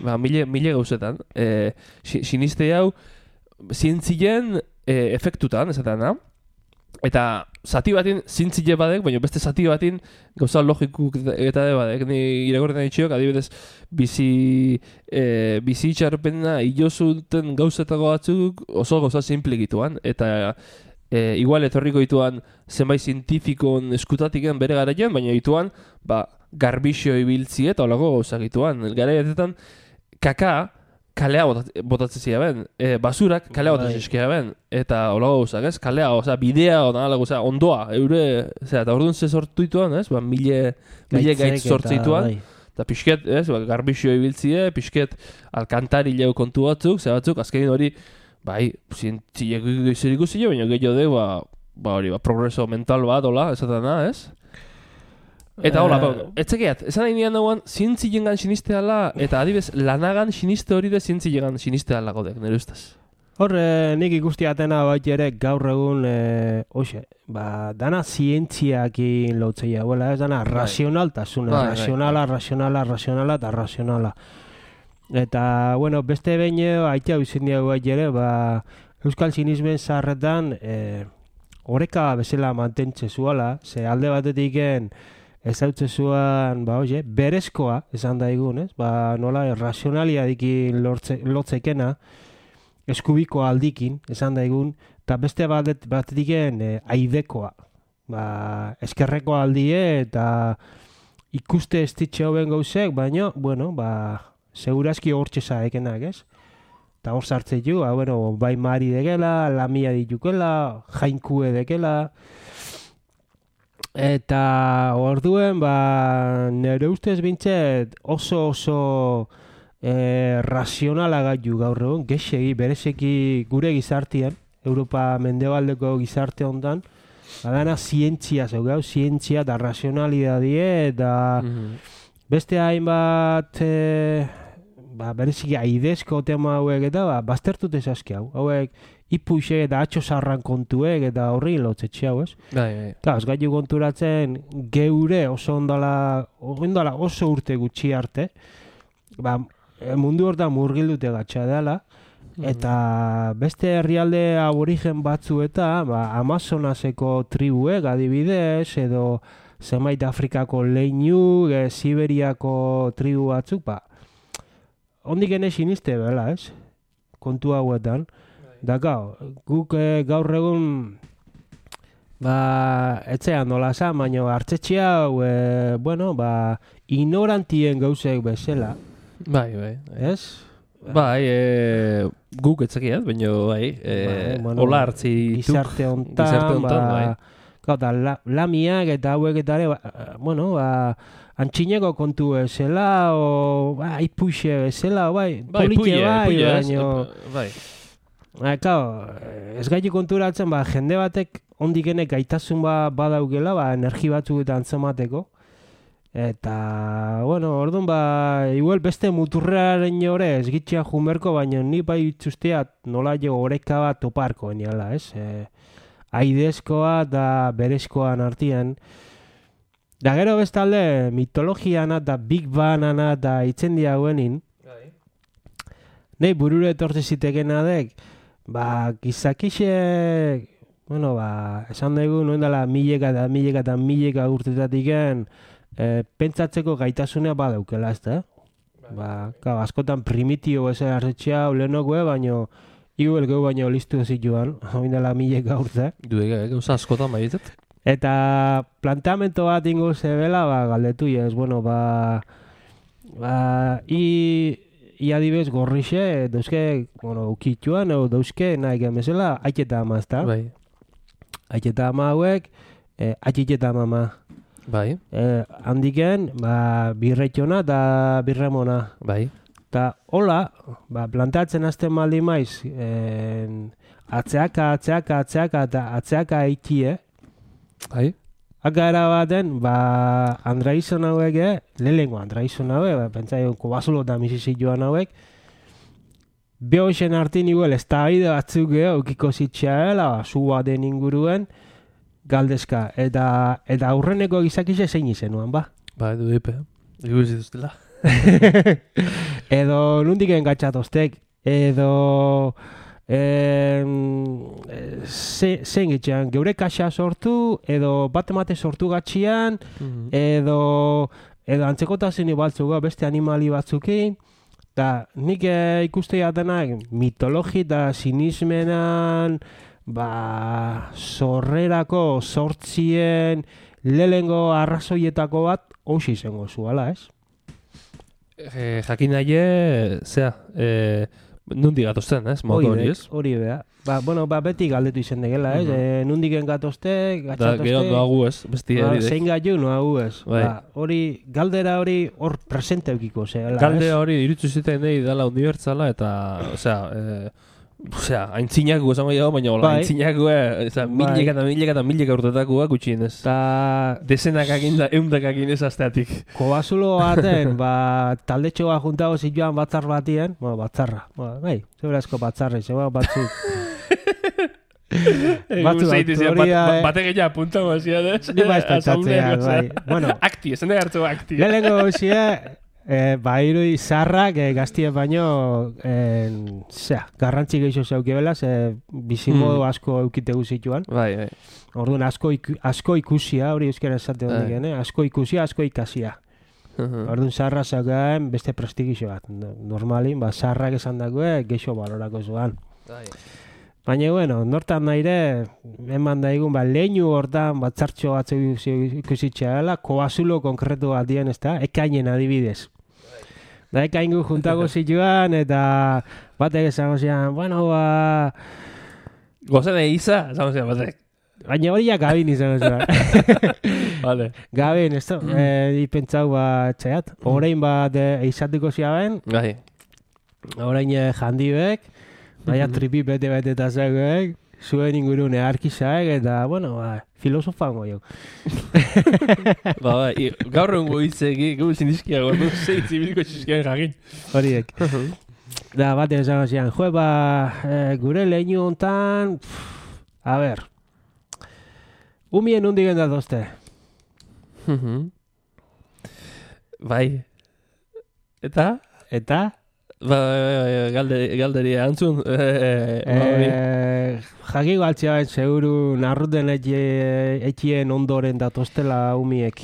ba, mile, mile gauzetan, e, si- siniste hau, zientzien e, efektutan, esaten da, eta zati batin zintzile badek, baina beste zati batin gauza logikuk eta de badek, ni irakorretan ditxiok, adibidez, bizi, e, bizi itxarpena ilozuten gauzetako batzuk oso gauza simplikituan, eta e, igual etorriko dituan zenbait zientifikon eskutatiken bere garaian, baina dituan, ba, garbixio ibiltzi eta holako gauzak dituan. Garaiatetan, kaka, kalea botat, botatzen zia ben, e, basurak kalea botatzen zizkia ben, eta holago gauzak, ez? Kalea, oza, bidea, onala, oza, ondoa, eure, zera, eta orduan ze sortu dituan, ez? Ba, mile, mile gaitz sortu dituan, eta pixket, ez? Ba, garbixio ibiltzie, pixket alkantari leu kontu batzuk, ze batzuk, azkenin hori, bai, zientzilek zer ikusile, baina gehiago de, ba, ba hori, ba, progreso mental bat, hola, esaten da, ez? Eta hola, ba, etzekeat, esan nahi nian dagoan, zientzilengan sinisteala, eta adibez, lanagan siniste hori de zientzilengan sinisteala godek, nire ustez. Hor, eh, nik ikusti atena bat ere gaur egun, eh, oxe, ba, dana zientziakin lotzea, huela, ez dana razionaltasuna, Bai, bai, razionala, razionala, razionala, eta razionala. Eta, bueno, beste behin aitea bizin diago bat ere, ba, euskal sinismen zaharretan, eh, oreka bezala mantentze zuala, ze alde batetiken, ez hautze zuan, ba, oie, berezkoa, esan daigun, ez? Ba, nola, razionalia dikin lortze, lotzekena, eskubiko aldikin, esan daigun, eta beste batet, batetiken e, aidekoa. Ba, eskerreko aldie eta ikuste estitxe hoben gauzek, baina, bueno, ba, segurazki hortxe zaekenak, ez? Eta hor sartzen ju, ba, bueno, bai mari dekela, lamia ditukela, jainkue dekela, eta orduen, ba, nire ustez bintzet oso oso e, razionala gaitu gaur egun, gexegi, berezeki gure gizartian, Europa mendebaldeko gizarte hontan, badana zientzia zeugau, zientzia eta razionalidadie, eta beste hainbat e, ba, bereziki aidezko tema hauek eta ba, baztertut ezazki hau, hauek ipuxe eta atxo zarran kontuek eta horri lotzetxe hau, ez? Bai, bai. Eta ez gaitu konturatzen geure oso ondala, ondala oso urte gutxi arte, ba, mundu hortan murgildute gatsa dela, eta beste herrialde aborigen batzu eta ba, Amazonaseko tribuek adibidez, edo zenbait Afrikako leinu, e, Siberiako tribu batzuk, ba, ondik ene siniste bela, ez? Kontu hauetan. Da gau, guk e, gaur egun ba, etzean nola zan, baina hartzetxe hau, e, bueno, ba, ignorantien gauzek bezala, Bai, bai. ez? Bai, e, guk etzekiat, baina bai, e, Bai, bueno, hola hartzi Gizarte hontan, gizarte hontan, ba, bai. gau, da, la, lamiak eta hauek eta ere, ba, bueno, ba, antxineko kontu bezala, o, ba, ipuxe bezala, bai, Bai, politxe puie, bai, puie, ez? baino, Bai. ba, kao, ez gaitu konturatzen, ba, jende batek ondikenek gaitasun ba, badaukela, ba, energi batzuk eta antzemateko, eta, bueno, orduan, ba, igual beste muturrearen jore ez gitxea jumerko, baina ni bai itzusteat nola jo oreka bat toparko eniala, ez? E, aidezkoa eta berezkoan artian. Da gero bestalde mitologiana eta Big Bangana eta itzen diaguenin, nei burure etortze zitekena dek, ba, gizakixek, bueno, ba, esan dugu, noen dela mileka eta mileka eta mileka urtetatiken, e, pentsatzeko gaitasunea badaukela, ez da? Ba, ka, askotan primitio ez hartzetxea, ulenokue, baino, igual geu baino listu zituan, noen dela mileka urte. Duek, gauza askotan baitzet. Eta planteamento bat ingo zebela, ba, galdetu ez, bueno, ba, ba, i, i adibez gorrixe, dauzke, bueno, ukituan, o dauzke, nahi gemezela, aiketa ama, ezta? Bai. Aiketa ama hauek, eh, aiketa mama. Bai, eh, handiken, ba, birretxona eta birremona. bai. Eta hola, ba, plantatzen azten maldi maiz, en, atzeaka, atzeaka, atzeaka eta atzeaka eitie, Bai. Akara baten, ba, andraizon hauek, eh, lehenko andraizon hauek, ba, pentsaio, kobazulo eta misizit joan hauek, behoxen artin igual, ez da bide batzuk geho, ukiko zitxeela, ba, zu baten inguruen, galdezka, eta, eta aurreneko gizakize zein izenuan, ba. Ba, edu dipe. Igual zituztela. Edo nundik engatxatoztek, edo em, ze, zein gitxean, geure kaxa sortu, edo bat emate sortu gatxian, Mhm. edo, edo antzekotazen ibaltzuga beste animali batzukin, eta nik e, ikuste jatenak mitologi eta sinismenan, ba, sorrerako sortzien lehengo arrazoietako bat, hausi izango zuala, ez? E, jakin nahi, zea, e, nundi gatozten, ez? Moto hori, ez? Hori bea. Ba, bueno, ba, beti galdetu izan degela, ez? Mhm. E, nundiken gatozte, Da, gatxatozte, gero noagu ez, besti ba, hori zein gaiu noagu ez. Bai. Ba, hori, galdera hori hor presente eukiko zela, Galde ez? hori iritzu ziten nahi dela unibertsala eta, osea, e, osea, aintzinako esango jau, baina hola, Bai. aintzinako, osea, Bai. mileka eta mileka eta mileka urtetakoa gutxienez. Ta Dezenak akin da, eundak akin ez asteatik. kobazulo baten, ba, taldetxo bat juntago zituan batzar batien, bueno, batzarra, bueno, bai, zeurazko batzarra, zeba batzuk. Batzu autoria, eh. Batek egia apuntago hasia, ez? Ni baiz pentsatzea, bai. Bueno, Akti, esan da hartu akti. lehenengo gauzie, eh, ba, irudi zarrak eh, gaztien baino, eh, zera, garrantzi gehiago zeukibela, ze bizimodu Hmm. asko eukitegu zituan. Bai, bai. Orduan asko, iku, asko ikusia, hori euskara esate Bai. hondik, eh? Asko ikusia, asko ikasia. Mhm. Orduan zarra zaukaen beste prestigio bat. No- Normalin, ba, zarrak esan dagoe, geixo balorako zuan. Bai. Baina, bueno, nortan naire, eman daigun, ba, leinu hortan, batzartxo batzuk ikusitxea dela, koazulo konkretu bat dien, ez da, ekainen adibidez. Da, ekaingu juntago zituan, eta batek esango zian, bueno, ba, Gozen eiza, esan zian batek. baina hori ja gabin izango zian. Vale. Gabin, ez da, eh, ipentzau, ba, txaiat, orain bat eh, eizatuko ziaben, Bai. orain eh, jandibek, baina tripi bete-bete eta zegoek, zuen ingurun earkizaek, eta, bueno, ba, filosofango jo. Ba, bai, i- gaur egun hitzeki, gau zindizkia gordu, zein zibilko txizkian jakin. Horiek. Da, batean esango zian, jo, ba, eh, gure leinu hontan, pff, a ber, umien hundik endatozte. Mhm. Bai. Eta? Eta, Ba, galde, galderi antzun. Eh, ba, hori. eh, jaki galtzea ben, seguru, narruten etxien ondoren datoztela umiek.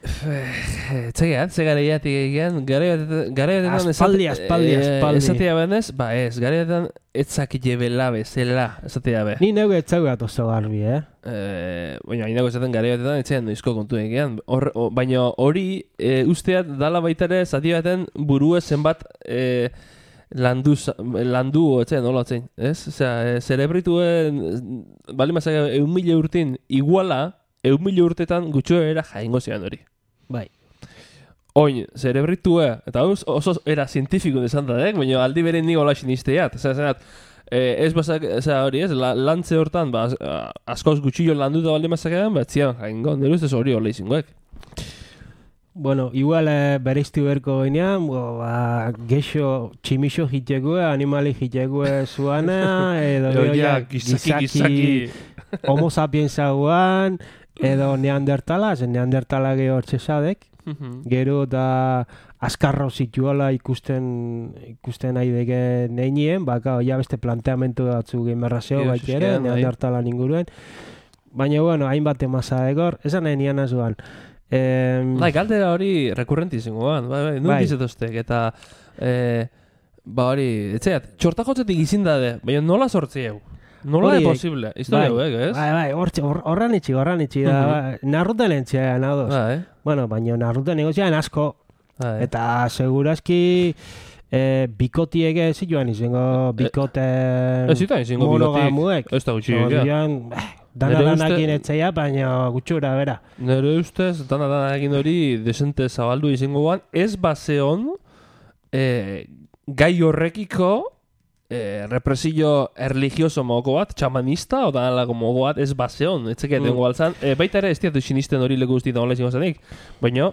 Txegeat, ze garaiatik egin, garaiatetan Aspaldi, aspaldi, aspaldi. Esatea benez, ba ez, garaiatetan etzakile bela bezala, esatea be. Ni neu etzau gatozo garbi, eh? Eh, baina hainako esaten garaiatetan etxean noizko kontu egian. Hor, o- baina hori e, usteat dala baitare zati baten burue zenbat e, landu, za- landu etxean, nola etxean, ez? Osea, e, zerebrituen, bali mazak eun mila urtin iguala, eun mila urtetan gutxoera jaingo zian hori. Bai. Oin, zerebritue, eta oso, oso era zientifiko desan da, eh? Baina aldi beren ni hola sinisteat. Osea, zenat, eh, ez basak, osea, hori ez, la, lantze hortan, ba, az- a- askoz gutxillo landuta balde mazakean, bat zian jaingo, nire ustez hori hola izingoek. Bueno, igual eh, bereiztu berko ginean, bo, ba, geixo tximixo jitegue, animali jitegue zuana, edo Edo, gero ja, ja, gizaki, gizaki. homo sapiensa guan, edo neandertala, zen neandertala geho txesadek, gero da askarro zituala ikusten ikusten nahi deke neinien, baka ja beste planteamentu batzu gemerrazeo Io, baita ere, zuzkian, bai. neandertalan inguruen. Baina, bueno, hainbat emasa egor, esan nahi nian azuan. Em, Bai, galdera hori rekurrenti zingoan, bai, bai, nun Bai. dizetoztek, eta, eh, ba hori, etxeat, txortakotzetik izin dade, baina nola sortzieu? Nola Horiek, de posible? Historia hauek, ez? Bai, bai, hortxe, hor, horran itxi, horran itxi, da, Mhm. ba, narruten entxean, ados. Bai, Bueno, baina narruten negozian asko, bai. eta segurazki eh, bikotiege zituan izango bikote Ez zitan izango bigotik. monogamuek. Ez da gutxi egia. Orduan, eh, dana Nere danakin uste- etzeia, baina gutxura, bera. Nire ustez, dana dana egin hori desente zabaldu izango guan, ez baseon eh, gai horrekiko eh, represio erligioso mogo bat, txamanista, o danalako mogo bat, ez baseon, etzeke Mm. dengo baltzan, eh, baita ere ez diatu sinisten hori leku guztietan hola izango zanik, baina,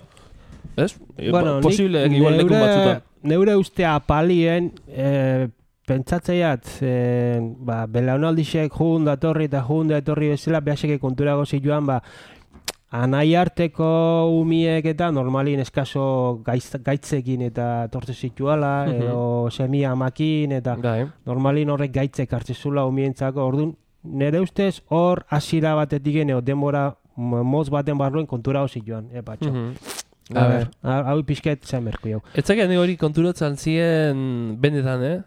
ez? Eh, Bueno, ba- posible, nik igual lekun neure- batzutan. Neure ustea palien, eh, pentsatzeiat, eh, ba, belaunaldixek jun datorri eta jun datorri bezala, behaseke konturago zituan, ba, anai arteko umiek eta normalin eskaso gaitz, gaitzekin eta tortze zituala, Mhm. edo semia amakin, eta Bai, normalin horrek gaitzek hartzezula umientzako, orduan, nire ustez hor hasiera batetik edo denbora mo- motz baten barruen konturago zituan, e, patxo. mhm. A ber, hau pixket zen berku jau. Etzakean hori konturatzen zien benetan, eh?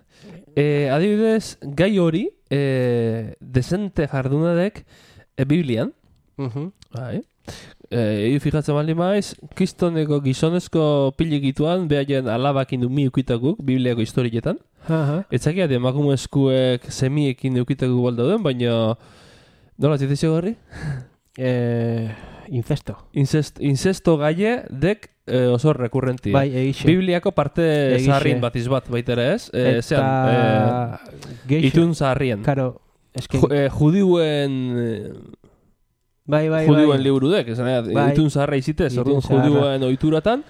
E, adibidez, gai hori, e, desente jardunadek e, Biblian, Mhm. bai, e, egu fijatzen bali maiz, kristoneko gizonezko pilikituan, behaien alabakin du mi ukitakuk, Bibliako historietan. Aha. Etzakean emakume eskuek semiekin ukitakuk baldauden, baina nola zitezio garri? Eh, incesto. Incest, incesto gaie dek e, oso rekurrentia. Bai, egixe. Bibliako parte Egixe. zaharrin batiz bat baita ere ez? E, zean, Eta e, geixo. itun zaharrien. Karo, eske... Ju, e, judiuen eh, bai, bai, judiuen bai. liburudek, esan nahi, Bai. itun zaharra izitez, Itun orduan zaharra. judioen ohituratan,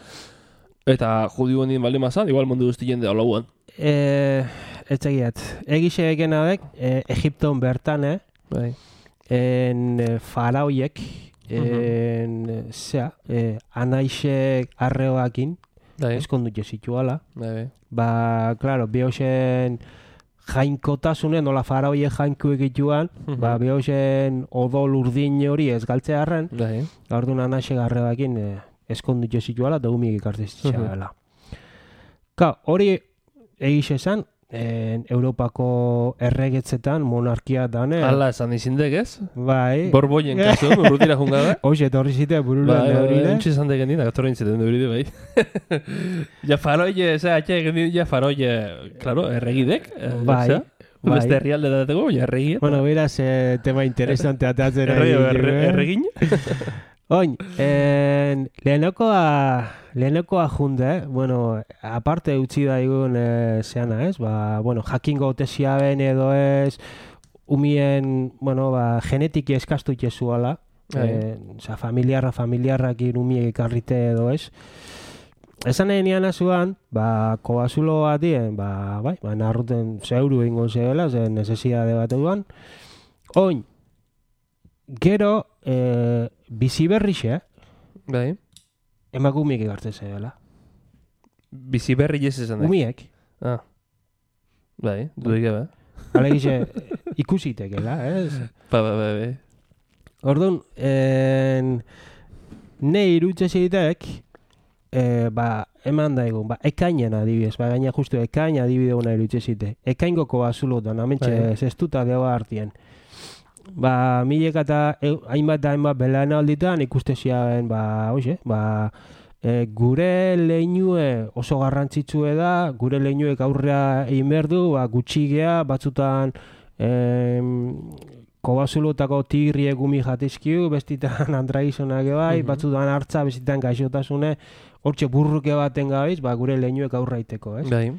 eta judioen din baldin mazan, igual mundu guztien de olauan. Eh, etzegiat. Egixe egena dek, eh, Egipton bertan, eh? Bai. En eh, faraoiek, en, eh, zea, eh, anaixek arreoakin, Bai, eskondu jesituala. bai, bai. Ba, claro, behosen jainkotasunen, nola faraoiek jainku egituan, Mhm. ba, behosen odol urdin hori ez galtzearren, Bai, orduan anaxek arreoakin eh, eskondu jesituala, da humik ikartezitxala. Ka, hori egixe esan, en, Europako erregetzetan, monarkia dane, Ala esan izindek ez? bai, Borboien kasu, urrutira jungabe. hoxe, etorri zite burulan Bai, bai, bai, neurire. entxe esan deken dina, gatorren ziten euride, bai. Ja faroie, eza, atxe egin dit, ja faroie, claro, erregidek. eh, Bai, zera, bai. Beste herrialde dateko, baina erregie. Bueno, beraz, eh, tema interesante atatzen ari Erre, erre, ginen. erregin. Oin, en, lehenekoa, lehenekoa junde, eh? Bueno, aparte utzi daigun eh, zeana, ez? Ba, bueno, jakingo otesia ben edo ez, umien, bueno, ba, genetiki eskastu itezuala, Bai. eh, oza, familiarra, familiarrakin umiek ekarrite edo ez. Esan nahi nian azuan, ba, kobazulo batien, ba, bai, ba, narruten zeuru ingo zeela, zen necesidade bat eduan. Oin, gero, eh, bizi berrixe, Bai. emakumiek egartzen zeela. Bizi berri ez esan da. Umiek, Ah. Bai, dudik ebe. alegixe, ikusitekela, ez? Ba, ba, ba, ba. Orduan, en, ne irutze zitek, e, ba, eman daigun, ba, ekainen adibidez, ba, gaina justu ekain adibide hona irutze zite. Ekaingoko bazulotan, amentxe, Bai. zestuta deoa hartien. Ba, milek eta eu- hainbat da hainbat belana alditan ikuste ziaben, ba, hoxe, ba, e, gure leinue oso garrantzitsue da, gure leinuek aurrea egin behar du, ba, gutxigea, batzutan em, kobazulotako tigriek gumi jatizkiu, bestitan andragizonak bai, Mhm. batzutan hartza, bestitan gaixotasune, hortxe burruke baten gabiz, ba, gure leinuek aurraiteko, ez? Bai.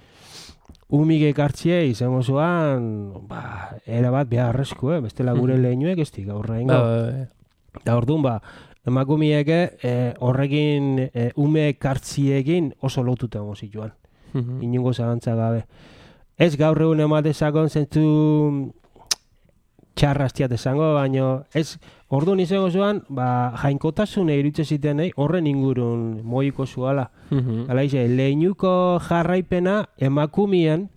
Umik ekartzie izango zuan, ba, era bat beharrezko, eh? Bestela gure Mhm. leinuek ez dik aurra Ba, ingo. ba, ba. Eta orduan, ba, emakumieke eh, horrekin eh, ume ekartziekin oso lotuta zituan, Mhm. inungo zalantza gabe. Ez gaur egun ematezakon zentzu txarrastiat esango, baino ez orduan izango zuan, ba, jainkotasune irutze zitenei horren ingurun moiko zuala. Mhm. Hala ize, lehinuko jarraipena emakumien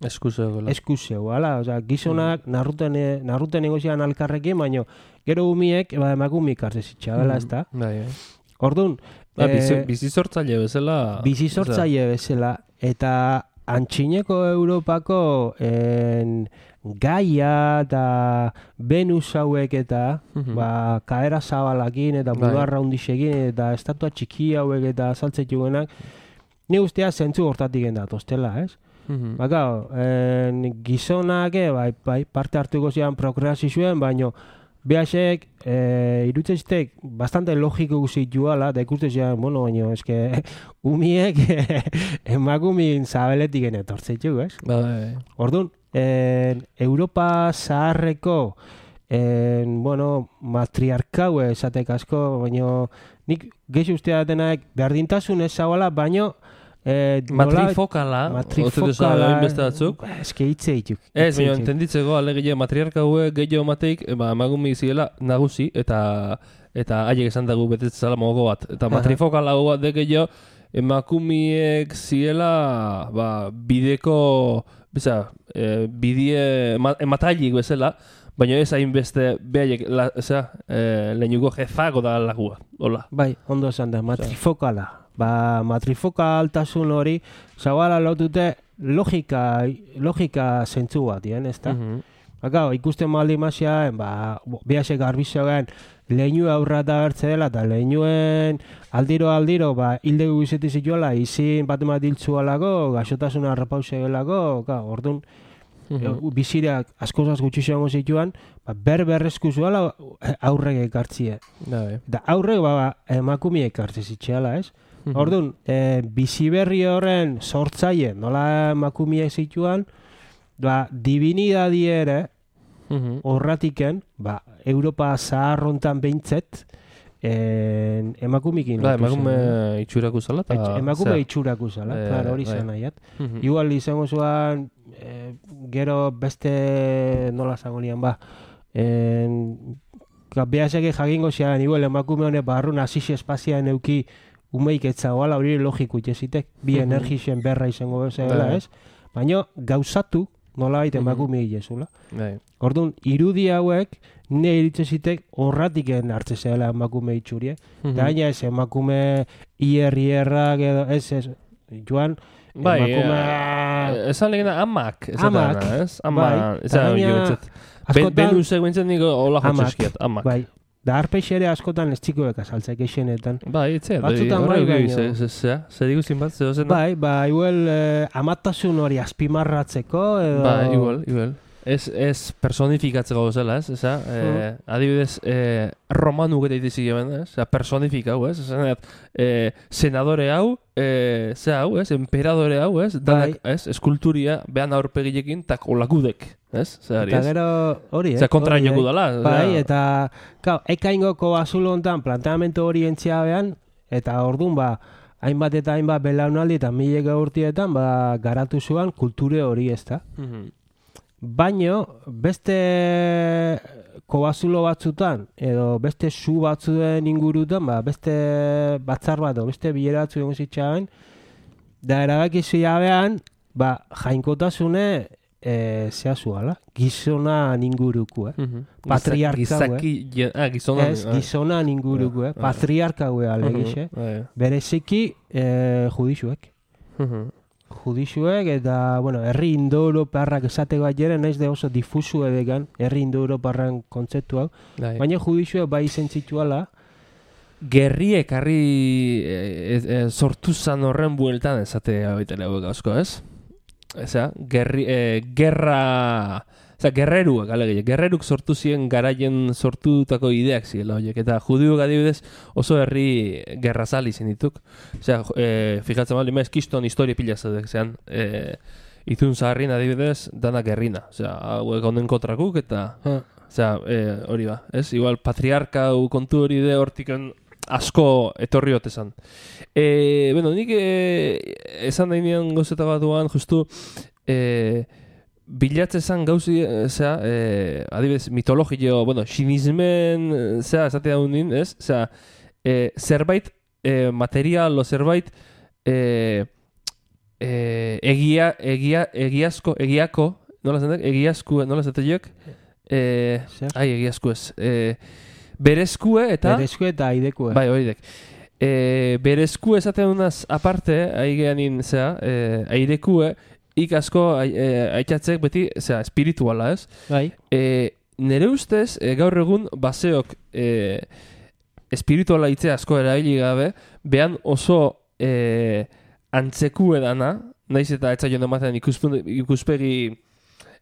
Eskuzeo. eskuzeu, ala, oza, gizonak narruten, e- narruten egozian alkarrekin, baino gero umiek, ba, emakumik hartze zitxabela, ez da? Bai, bai. Orduan, Ba, eh, bizi, bizi sortzaile bezala. bizi sortzaile bezala, eta antxineko Europako en, Gaia eta Venus hauek eta Mhm. ba, kaera zabalakin eta Bai. bularra hundisekin eta estatua txiki hauek eta saltzetuenak, ni ustea zentzu hortatik endatoztela, ez? Mhm. Ba, gau, en, gizonak, eh, bai, bai, parte hartuko zian prokreazioen, baino behasek, e, irutzeztek bastante logiko zituala, da ikustezea, bueno, baina, eske, umiek emakumin zabeletik etortzetxu, ez? Bai. Orduan, en, Europa zaharreko, en, bueno, matriarkau esatek asko, baina nik gehi ustea denak berdintasun ez zabala, baina Eh, matrifokala, matrifokala, beste batzuk. Eske hitze dituk. Ez, baina entenditzeko alegia matriarka hauek gehiago mateik, ba, emagumi ziela nagusi, eta eta haiek esan dago betetzela mogo bat. Eta matrifokala hau bat de gehiago, emakumiek ziela, ba, bideko, biza, e, bidie, ematailik bezala, baina ez hainbeste behaiek, osea, e, lehenuko jefago da lagua, hola. Bai, ondo esan da, matrifokala. Ba, matrifokaltasun hori, zabala lotute logika, logika zentzu bat, ez da? Mhm. Baka, ikusten maldi maziaen, ba, behasek garbizoen, lehenu aurra da bertze dela, eta lehenuen aldiro-aldiro, ba, hilde guzeti zituela, izin bat emat hiltzualako, gaixotasuna repause gelako, orduan, Mhm. bizireak askozaz gutxi zegoen zituan, ba, ber-berrezku zuela aurrek ekartzie. Bai. Da aurrek, ba, emakumie ekartze zitxeala, ez? Orduan, e, biziberri horren sortzaile, nola emakumie zituan, ba, divinidadi ere, horratiken, ba, Europa zaharrontan behintzet, en, emakumikin. Ba, emakume itxuraku zala. Emakume itxuraku zala, e, claro, hori bai. zen nahiat. Igual izango zuan, e, gero beste nola zagonian, ba, en, behaseke jakingo zean, igual emakume honek barrun asisi espazian euki umeik etzagoala, hori logiko itxezitek, bi energixen berra izango bezala, ez? Baina gauzatu, nola baita emakume hilezula. Orduan, irudi hauek, ne iritzezitek horratiken hartze zela emakume itxurie. Da gaina ez emakume ier-ierrak edo, ez, ez, joan, emakume... Esan legena amak, amak, ez? Amak, ezan hori joetzet. Benusek bentzen niko hola jotzeskiat, amak. Bai, da arpeixere askotan ez txikoek azaltzek eixenetan. Bai, itzea, batzutan bai gaino. Zer diguzin bat, zer ozen? Bai, ba, igual amatasun hori azpimarratzeko edo... Bai, igual, igual. Ez, ez personifikatzeko gozela, ez? Eza, eh, adibidez, eh, romanu geta itizik eben, ez? Eza, personifikau, ez? Eza, eh, senadore hau, eh, ze hau, ez? Emperadore hau, ez? Danak, ez? Eskulturia, behan aurpegilekin, tak olakudek, ez? Zehari, ez? Eta gero hori, eh? Zer kontra inoku dala. Bai, eta, kau, ekaingoko bazulo hontan planteamentu hori entzia behan, eta orduan, ba, hainbat eta hainbat belaunaldi eta mileka urtietan, ba, garatu zuan kulture hori, ez da? Baino, beste kobazulo batzutan, edo beste su batzuen ingurutan, ba, beste batzar bat, beste bilera batzu egon zitzaben, da erabakizu jabean, ba, jainkotasune e, zehazuala, gizonan inguruko, eh? Patriarka, Gizaki, ah, gizonan. Ez, gizonan inguruko, eh? Patriarka gue alegixe, bereziki eh, judizuek. Judisuek eta, bueno, herri indo-europarrak esate bat jere, naiz de oso difusu edekan, herri indo-europarran kontzeptu hau, baina judisuek bai izen zituala. Gerriek harri e, e, sortu zan horren bueltan esate baitele hauek asko, ez? Eza, gerri, e, gerra... Eza, gerreruak, alegia, gerreruk sortu ziren garaien sortutako ideak ziela horiek, eta judiuk adibidez oso herri gerrazali zen dituk. Eza, e, fijatzen bali, maiz kiston historia pila zedek, zean, e, izun zaharrin adibidez, dana gerrina. Eza, hauek onden kontrakuk, eta, eza, e, hori ba, ez? Igual, patriarka kontu hori de hortiken asko etorri hotezan. E, bueno, nik e, esan dainian gozeta bat duan, justu, e, bilatzezan gauzi, zera, eh, adibidez, mitologio, bueno, sinismen, zera, esatea hundin, ez? Zera, eh, zerbait, eh, material o zerbait, eh, eh, egia, egia, egiazko, egiako, nola zendak, egiazku, nola zentak, eh, ai, egiazku ez, eh, berezkue eta... Berezkue eta aidekue. Bai, hori dek. E, berezku esaten dunaz aparte, aigeanin, zera, e, airekue, ikasko aitzatzek beti, zera, espirituala, ez? Bai. E, nere ustez, e, gaur egun, baseok e, espirituala hitze asko erabili gabe, behan oso e, antzeku edana, naiz eta etza joan ematen ikuspegi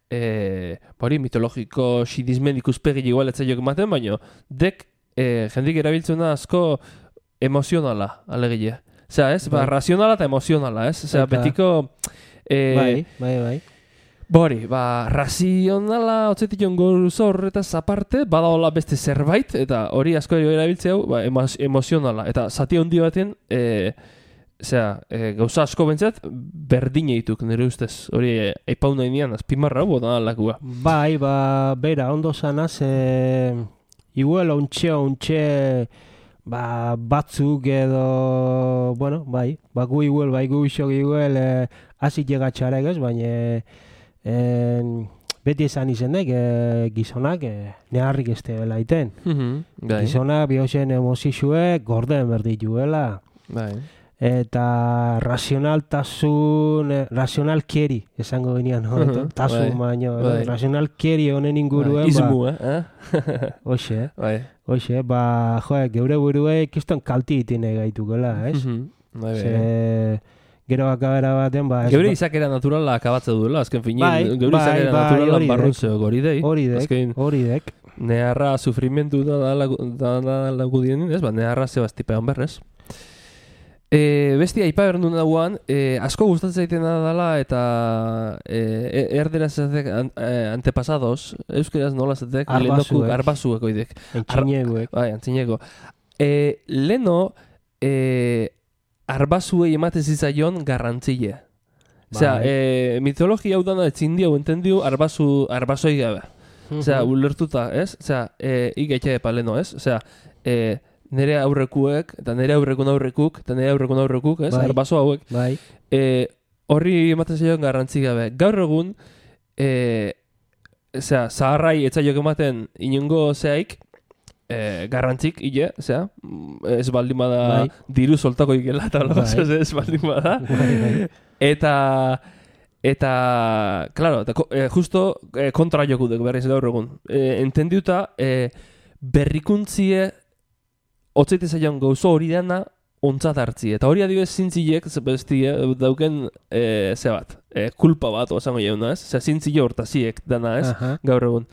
e, hori mitologiko sidismen ikuspegi igual etzaiok ematen, baina dek e, jendik erabiltzuna asko emozionala, alegile. Osea, ez? Ba, Bai. razionala eta emozionala, ez? Osea, Eta- betiko... E, Bai, bai, bai. Bori, ba, razionala otzetik jongo horretaz aparte, badaola beste zerbait, eta hori asko erabiltzea hau, ba, emo- emozionala. Eta zati handi baten, e, zera, e, gauza asko bentzat, berdine dituk, nire ustez. Hori, e, eipau nahi nian, azpimarra hau, da lakua. Bai, ba, bera, ondo zanaz, e, igual ontxe, ontxe, ba, batzuk edo, bueno, bai, ba, gu igual, bai, gu isok igual, e, azik llegatxarek ez, baina, en, beti esan izenek, e, gizonak, e, neharrik ez tebela iten. Bai, Gizonak bihozen emozixuek gorden berdituela. bai. Eta razionaltasun, eh, razionalkeri esango genian, no? Mhm, Tasun bai, baino, bai. razionalkeri honen inguruen, Bai, izmu, eh? eh? hoxe, Bai. hoxe, ba, jo, geure buruei kiston kalti itine gaitukela, ez? Mhm, bai, bai. Ze, gero akabera baten, ba, ez, Geure ba- izakera naturala akabatze duela, azken finean. Bai, Geure bai, izakera bai, naturala hori barrun dek. zeok hori dei. hori dek, Azken hori dek. neharra sufrimentu da da lagu- da da lagudienin, ez? Ba, neharra zebaztipean berrez. E, besti aipa berdun dagoan, e, asko gustatzen zaitena dela eta e, erderaz zatek an, e, antepasados, euskeraz nola zatek, Arbazuek. lehenokuk, arbazuek oidek. Entxineguek. Bai, antzineko. E, leno, e, arbazuei ematen zitzaion garrantzile. Osea, Bai. e, mitologia hau dana etzin dio, entendiu, arbazu, arbazoi gabe. Osea, Mhm. ulertuta, ez? Osea, e, igaitxe epa leno, ez? Osea, e, nere aurrekuek, eta nere aurrekun aurrekuk, eta nere aurrekun aurrekuk, ez? Bai. Arbazo hauek. Bai, E, horri ematen zaioen garrantzi gabe. Gaur egun, e, osea, zaharrai etzaiok ematen inongo zeaik, e, garrantzik, ile, osea, mm, ez baldin bada Bai. diru soltako ikela, eta Bai. bai. ez baldin bada. bai, bai. Eta, eta, claro, eta, ko- e, justo e, kontra jokudek berriz gaur egun. E, entendiuta, e, berrikuntzie otzaite zaion gauzo hori dena ontzat hartzi. Eta hori adibidez zintziek, zebestie, dauken, e, ze bat, e, kulpa bat, osango jauna, ez? Osea, zintzile hortaziek dana, ez? Aha. Gaur egun.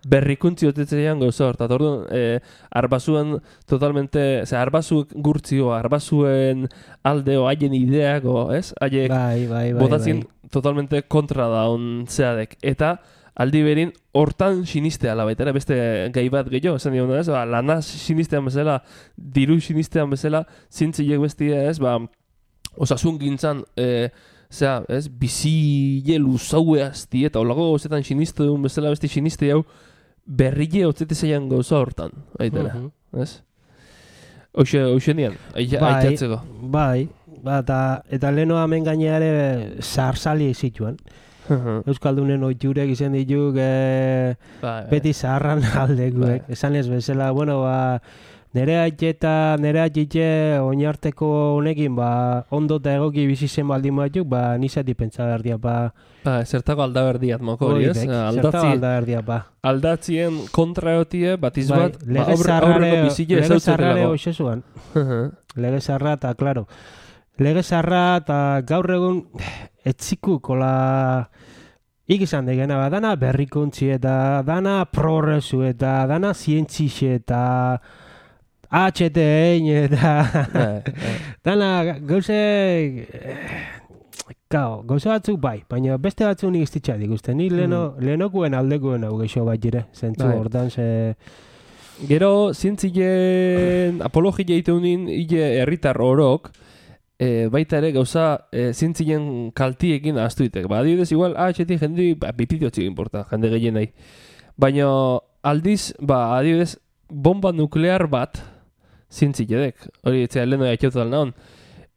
Berrikuntzi otetzeian gauza hor, eta orduan, e, arbazuen totalmente, ze arbazuk gurtzio, arbazuen aldeo, haien ideako, ez? Haiek Bai, bai, bai. botatzen bai. totalmente kontra da on zeadek. Eta aldi berin hortan sinistea la baita ere, beste gai bat gehiago, esan diona ez, ba, lana sinistean bezala, diru sinistean bezala, zintzilek bestia ez, ba, osasun gintzan, e, zera, ez, bizi luzaue azti, eta olago gauzetan siniste duen bezala beste siniste hau, berrile otzete zeian gauza hortan, aitera, Mhm. ez? Hoxe, hoxe nian, Bai, aitatzeko. bai, ba, eta, eta leheno hemen gaineare zaharzali zituen. Euskaldunen oiturek izan dituk e, Bai, beti zaharran aldekuek. Bai. Esan ez bezala, bueno, ba, nere aite eta nere aitite oinarteko honekin, ba, ondo eta egoki bizi zen baldin batzuk, ba, nizati pentsa behar dia, ba, Ba, zertako aldaberdiat moko hori, ez? horiek, zertaba Aldatzi, alda behar dia, ba. aldatzien kontra egotie, batiz Bai, bat, ba, lege aurre- zarrare, aurreko bizile lege zarrare ezautzerelako. hoxe zuan. Lege zarra eta, klaro, lege zarra eta gaur egun etzikuk, ola, ik izan degena, ba, dana berrikuntzi eta dana progresu eta dana zientzixe eta H T ein eta Bai, bai. dana gauze, Kao, gauza batzuk bai, baina beste batzuk nik iztitza dikusten. Ni leheno, lehenokuen aldekuen hau geixo bat jire, zentzu Bai. hortan ze... Gero, zientzien apologia iteunin, hile herritar orok, e, baita ere gauza e, zientzien kaltiekin ahaztu ditek. Ba, adibidez, igual, ah, txeti jendi, ba, bipidiotzik importa, jende gehien nahi. Baina, aldiz, ba, adibidez, bomba nuklear bat, zientzilledek. Hori, etzea, leheno jaitxotu dal nahon.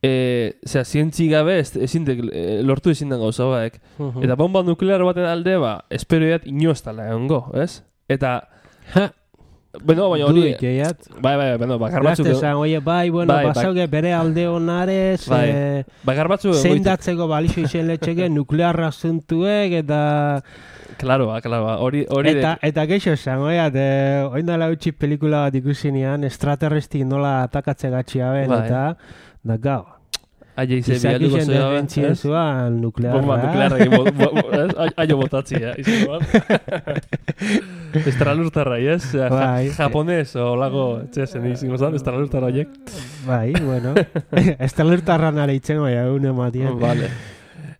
E, zera, zientzi gabe ez, ezin dek, e, lortu ezin den gauza baek. Eta bomba nuklear baten alde, ba, esperoiat inoestala egongo, ez? Eta, Ha, bueno, baina hori, duik, eiat. bai, bai, bueno, bakar batzuk, Gazte zan, oie, bai, bueno, Bai, bai. basauge bere alde honarez, Bai. eh, bakar batzuk egoitu. zeindatzeko balixo izen letxeke nuklearra zuntuek eta... Claro, ba, claro, ba, hori, hori Eta, de, eta geixo esan, oiat, eh, oin dala utzi pelikula bat ikusinean, extraterrestik nola atakatze gatxia ben, Bai. eta, da gau, Aia ize Izak bialduko izen zea, defentzien zuan nuklearra. Bomba nuklearra egin, bo- bo- ez? Ai- aio botatzia, izan duan. Estralurtarra, ez? Ja, ja, Bai. japonez, o lago, txesen izango zan, estralurtarra horiek. Bai, bueno. Estalertarra nare itzen bai, une matien. Vale.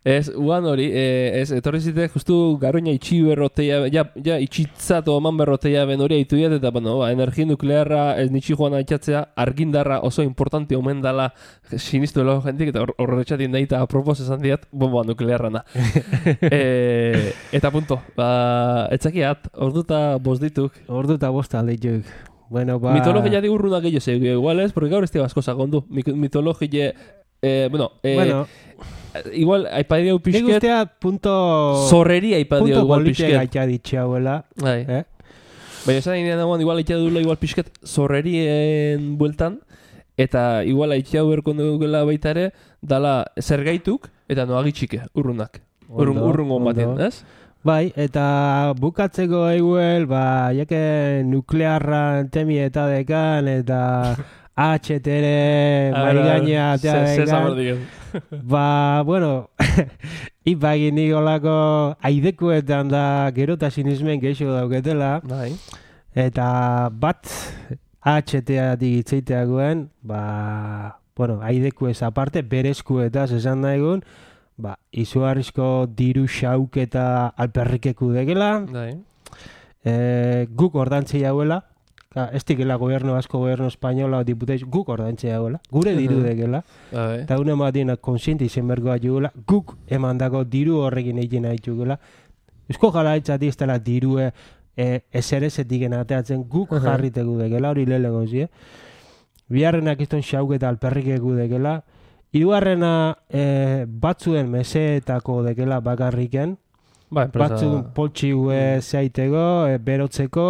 Ez, uan hori, eh, ez, etorri zite, justu garoina itxi berroteia, ja, ja itxitzatu oman berroteia ben hori haitu diat, eta, bueno, ba, energi nuklearra ez nitsi joan aitxatzea, argindarra oso importante omen dala sinistu elo jentik, eta horretxatin daita apropos esan diat, bomba nuklearrana. e, eta punto, ba, etzakiat, orduta bost dituk. Ordu eta bosta aldituk. Bueno, ba... Mitologia di urruna gehiago zeu, igual ez, porque gaur ez tira asko sakondu. Mitologia, eh, bueno, eh, Bueno, igual, aipadio nik pixket, ustea punto... zorreri aipadio punto igual politia pixket. gaitxa ditxauela. Bai. Eh? Baina esan inean dagoen, igual aitea dula igual pixket zorrerien bueltan, eta igual aitea berko dugula baita ere, dala zergaituk, eta noagitxike, urrunak. Urrun, Ondo, urrungo baten, ondo. ez? Bai, eta bukatzeko eguel, ba, jake nuklearra temi eta dekan, eta H T ere maigaina atea dekan. Ba, bueno, ipagin nikolako aidekuetan da gerotasinismen gehiago dauketela, Bai. eta bat H T atik itzeiteagoen, ba, bueno, aideku ez aparte, berezkuetaz esan daigun, ba, izugarrizko diru xauk eta alperrikeku degela, Bai. e, guk ordantzi jauela, ka, ez dikela gobernu asko, gobernu espainola, diputeiz, guk ordantzi jauela, gure diru Mhm. degela, Bai. eta une matien konsienti izen bergoa jugula, guk emandako diru horrekin egin nahi jugula, Eusko Jaurlaritzati ez dela dirue e, eserezetik ateatzen guk Aha. jarritegu degela, hori lehenengo zie. Biharrenak izton xauk eta alperrikeku degela, hirugarrena e, batzuen meseetako degela bakarriken, Bai, enpresa... batzuen poltsigue zeaiteko, e, berotzeko,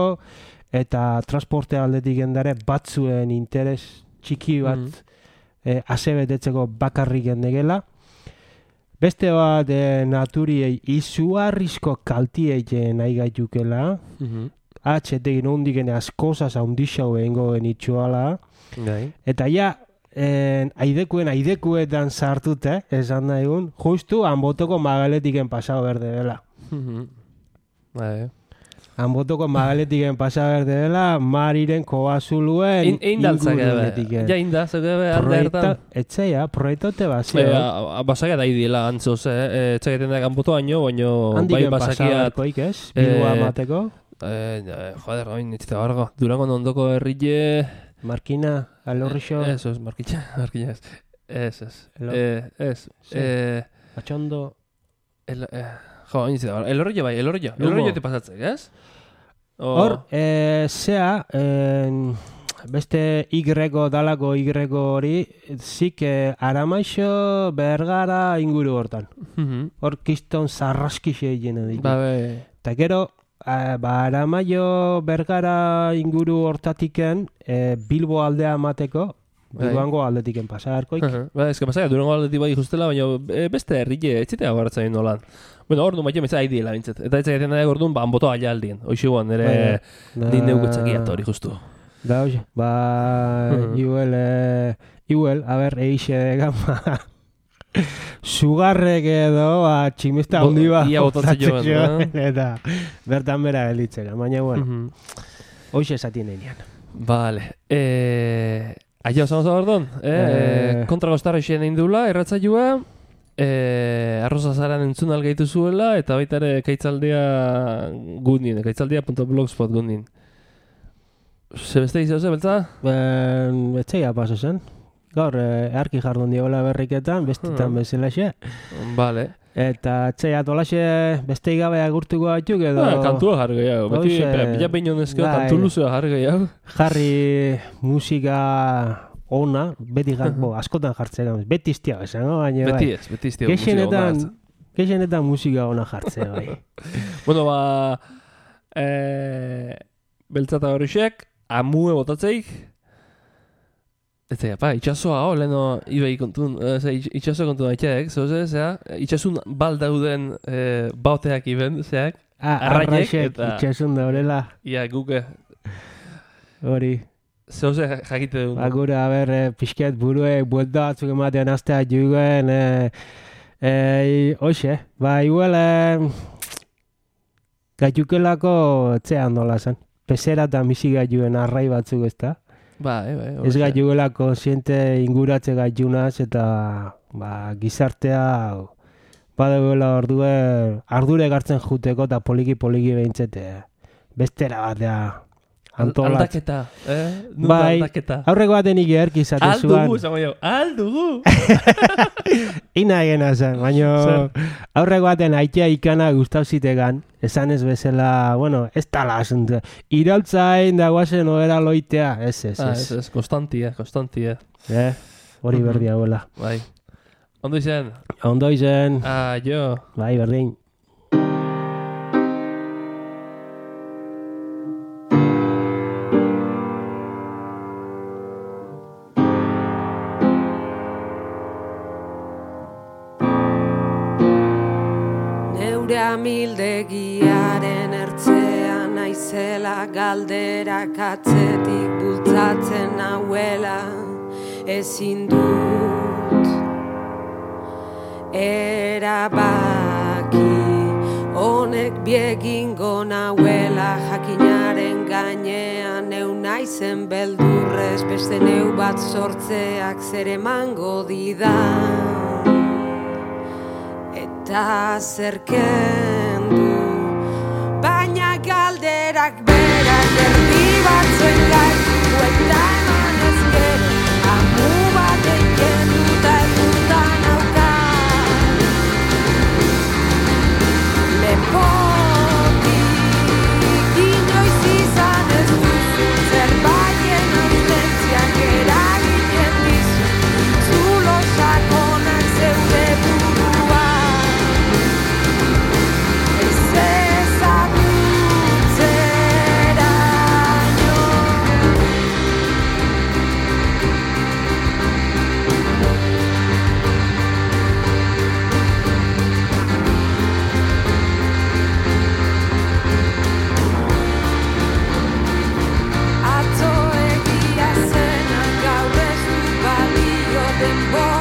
eta transporte aldetik endare batzuen interes txiki bat Mhm. e, asebetetzeko bakarriken degela. Beste bat e, naturiei izugarrizko kaltiei nahi gaitukela, Mhm. H T-gin hondiken askozaz haundixau egingo genitxuala, Bai. eta ja, en, aidekuen aidekuetan sartute, esan da egun, justu hanbotoko magaletiken pasau berde dela. Mhm. Bai. Hanbotoko magaletiken pasau berde dela, mariren koazuluen Ein daltzak ingurunetiken. Ja, indaltzak ebe, alde Proiekta, hartan. etxeia, proiektote bazio. Eh, basakia da idiela antzoz, eh? Etxaketen da kanboto baino, baino bai Handiken basakia... pasaberkoik ez, bilua eh, mateko. Eh, eh, joder, oin, nitzita bargo. Durangon ondoko herrile... Markina, alorrixo, Eso es, markitxa, markitxa ez. Ez, ez. Elo- Eh, ez. Sí. Eh, atxondo, el, eh, jo, oin nitzita bargo. Elorrillo bai, elorrillo. Lumo. Elorrillo te pasatzek, ez? O- hor, eh, zea, en, beste Y dalako Y hori, zik eh, Aramaixo, Bergara inguru hortan. Mhm. Hor kiston zarraskixe egin ditu. Ba, be... Eta gero, eh, ba, Aramaio, Bergara inguru hortatiken, eh, Bilbo aldea mateko, Bai. Bilboango aldetiken pasagarkoik. Aha. Ba, ez que pasakia, Durango aldetik bai justela, baina eh, beste herrile, ez zitea gartzen nolan. Bueno, orduan baina meza haidiela bintzat. Eta ez zaiten da orduan, ba, anboto aia aldien. Hoxe guan, ere, Bai, din neukutzakiat hori justu. Da, hoxe, ba, Mhm. iguel, eh, iguel, a ber, eixe degan, ba, sugarrek edo, ba, tximista Bo- handi bat ia botatzen joan, joan, eta bertan bera gelditzera, baina, bueno, Mhm. hoxe esatien einean. Vale. Eh, aia osamos orduan. Eh, Eh. kontra gostarra isen egin dula, erratzailua. Eh, arroza zaran entzun algaitu zuela, eta baita ere kaitzaldea gundin, kaitzaldea punto blogspot gundin. Ze beste izan ze, beltza? Ben, etxeia paso zen. Gaur, eh, earki jardun diola berriketan, bestetan Hmm. bezalaxe. Vale. Eta etxeia tolaxe beste gabe agurtuko batzuk edo... Ah, kantua jarri gehiago. Beti, Hoxe, bila behin honezko, bai. kantu luzua jarri gehiago. Jarri musika ona, beti jar, bo, askotan jartzea, beti iztia esango, baina Beti bai. ez, beti iztio musika ona Gehienetan, hartzen. gehienetan musika ona jartzea, bai. Bueno, ba... Eh, beltzata horrexek, amue botatzeik. Ez da, pa, itxasoa, oh, leheno, ibei kontun, eh, ze, itx- itxaso kontun aitxeek, zoze, zera, itxasun bal dauden eh, baoteak iben, zeak, Ah, Arraiek arraixek, eta- itxasun da horrela, ia guke, hori. Zeuze jakite dut. Ba, gure, a ber, eh, pixket buruek buelta batzuk ematean astea juguen, eh, eh, hoxe, ba, igual, eh, gaiukelako etxean dola zen. Pesera eta misi gaituen arrai batzuk ez da. Ba, eh, bai. Ez gaiuela konsiente inguratze gaiunaz eta ba, gizartea badeguela ordue ardure gartzen juteko eta poliki-poliki behintzete bestera batea antolatzen. Aldaketa, eh? Nunca Bai, aldaketa. aurreko baten ikerki izate zuan. Aldugu, zango jo, aldugu! Ina egena zen, baina Zer? aurreko baten aitea ikana gustau zitegan, esan ez bezala, bueno, ez tala asunto. Irautzain da guazen oera loitea, ez, ez, Ah, ez. ez, ez, konstantia, konstantia. Eh, hori Mhm. berdi hauela. Bai. Ondo izan? Ondo izen, Ah, jo. bai, berdin. Neure amildegiaren ertzean naizela galderak atzetik bultzatzen nauela ezin dut erabaki honek biegingo nauela jakinaren gainean neu naizen beldurrez beste neu bat sortzeak zer emango didan eta zerken du baina galderak berak erdi batzuen gaitu eta eman ezkero amu bat eiken duta eguta nauka lepotik inoiz izan ez duzu zerbaien aurtentziak eragiten dizu zulo sakonak zeure burua Atzo egia zena gaur ez du balio denbora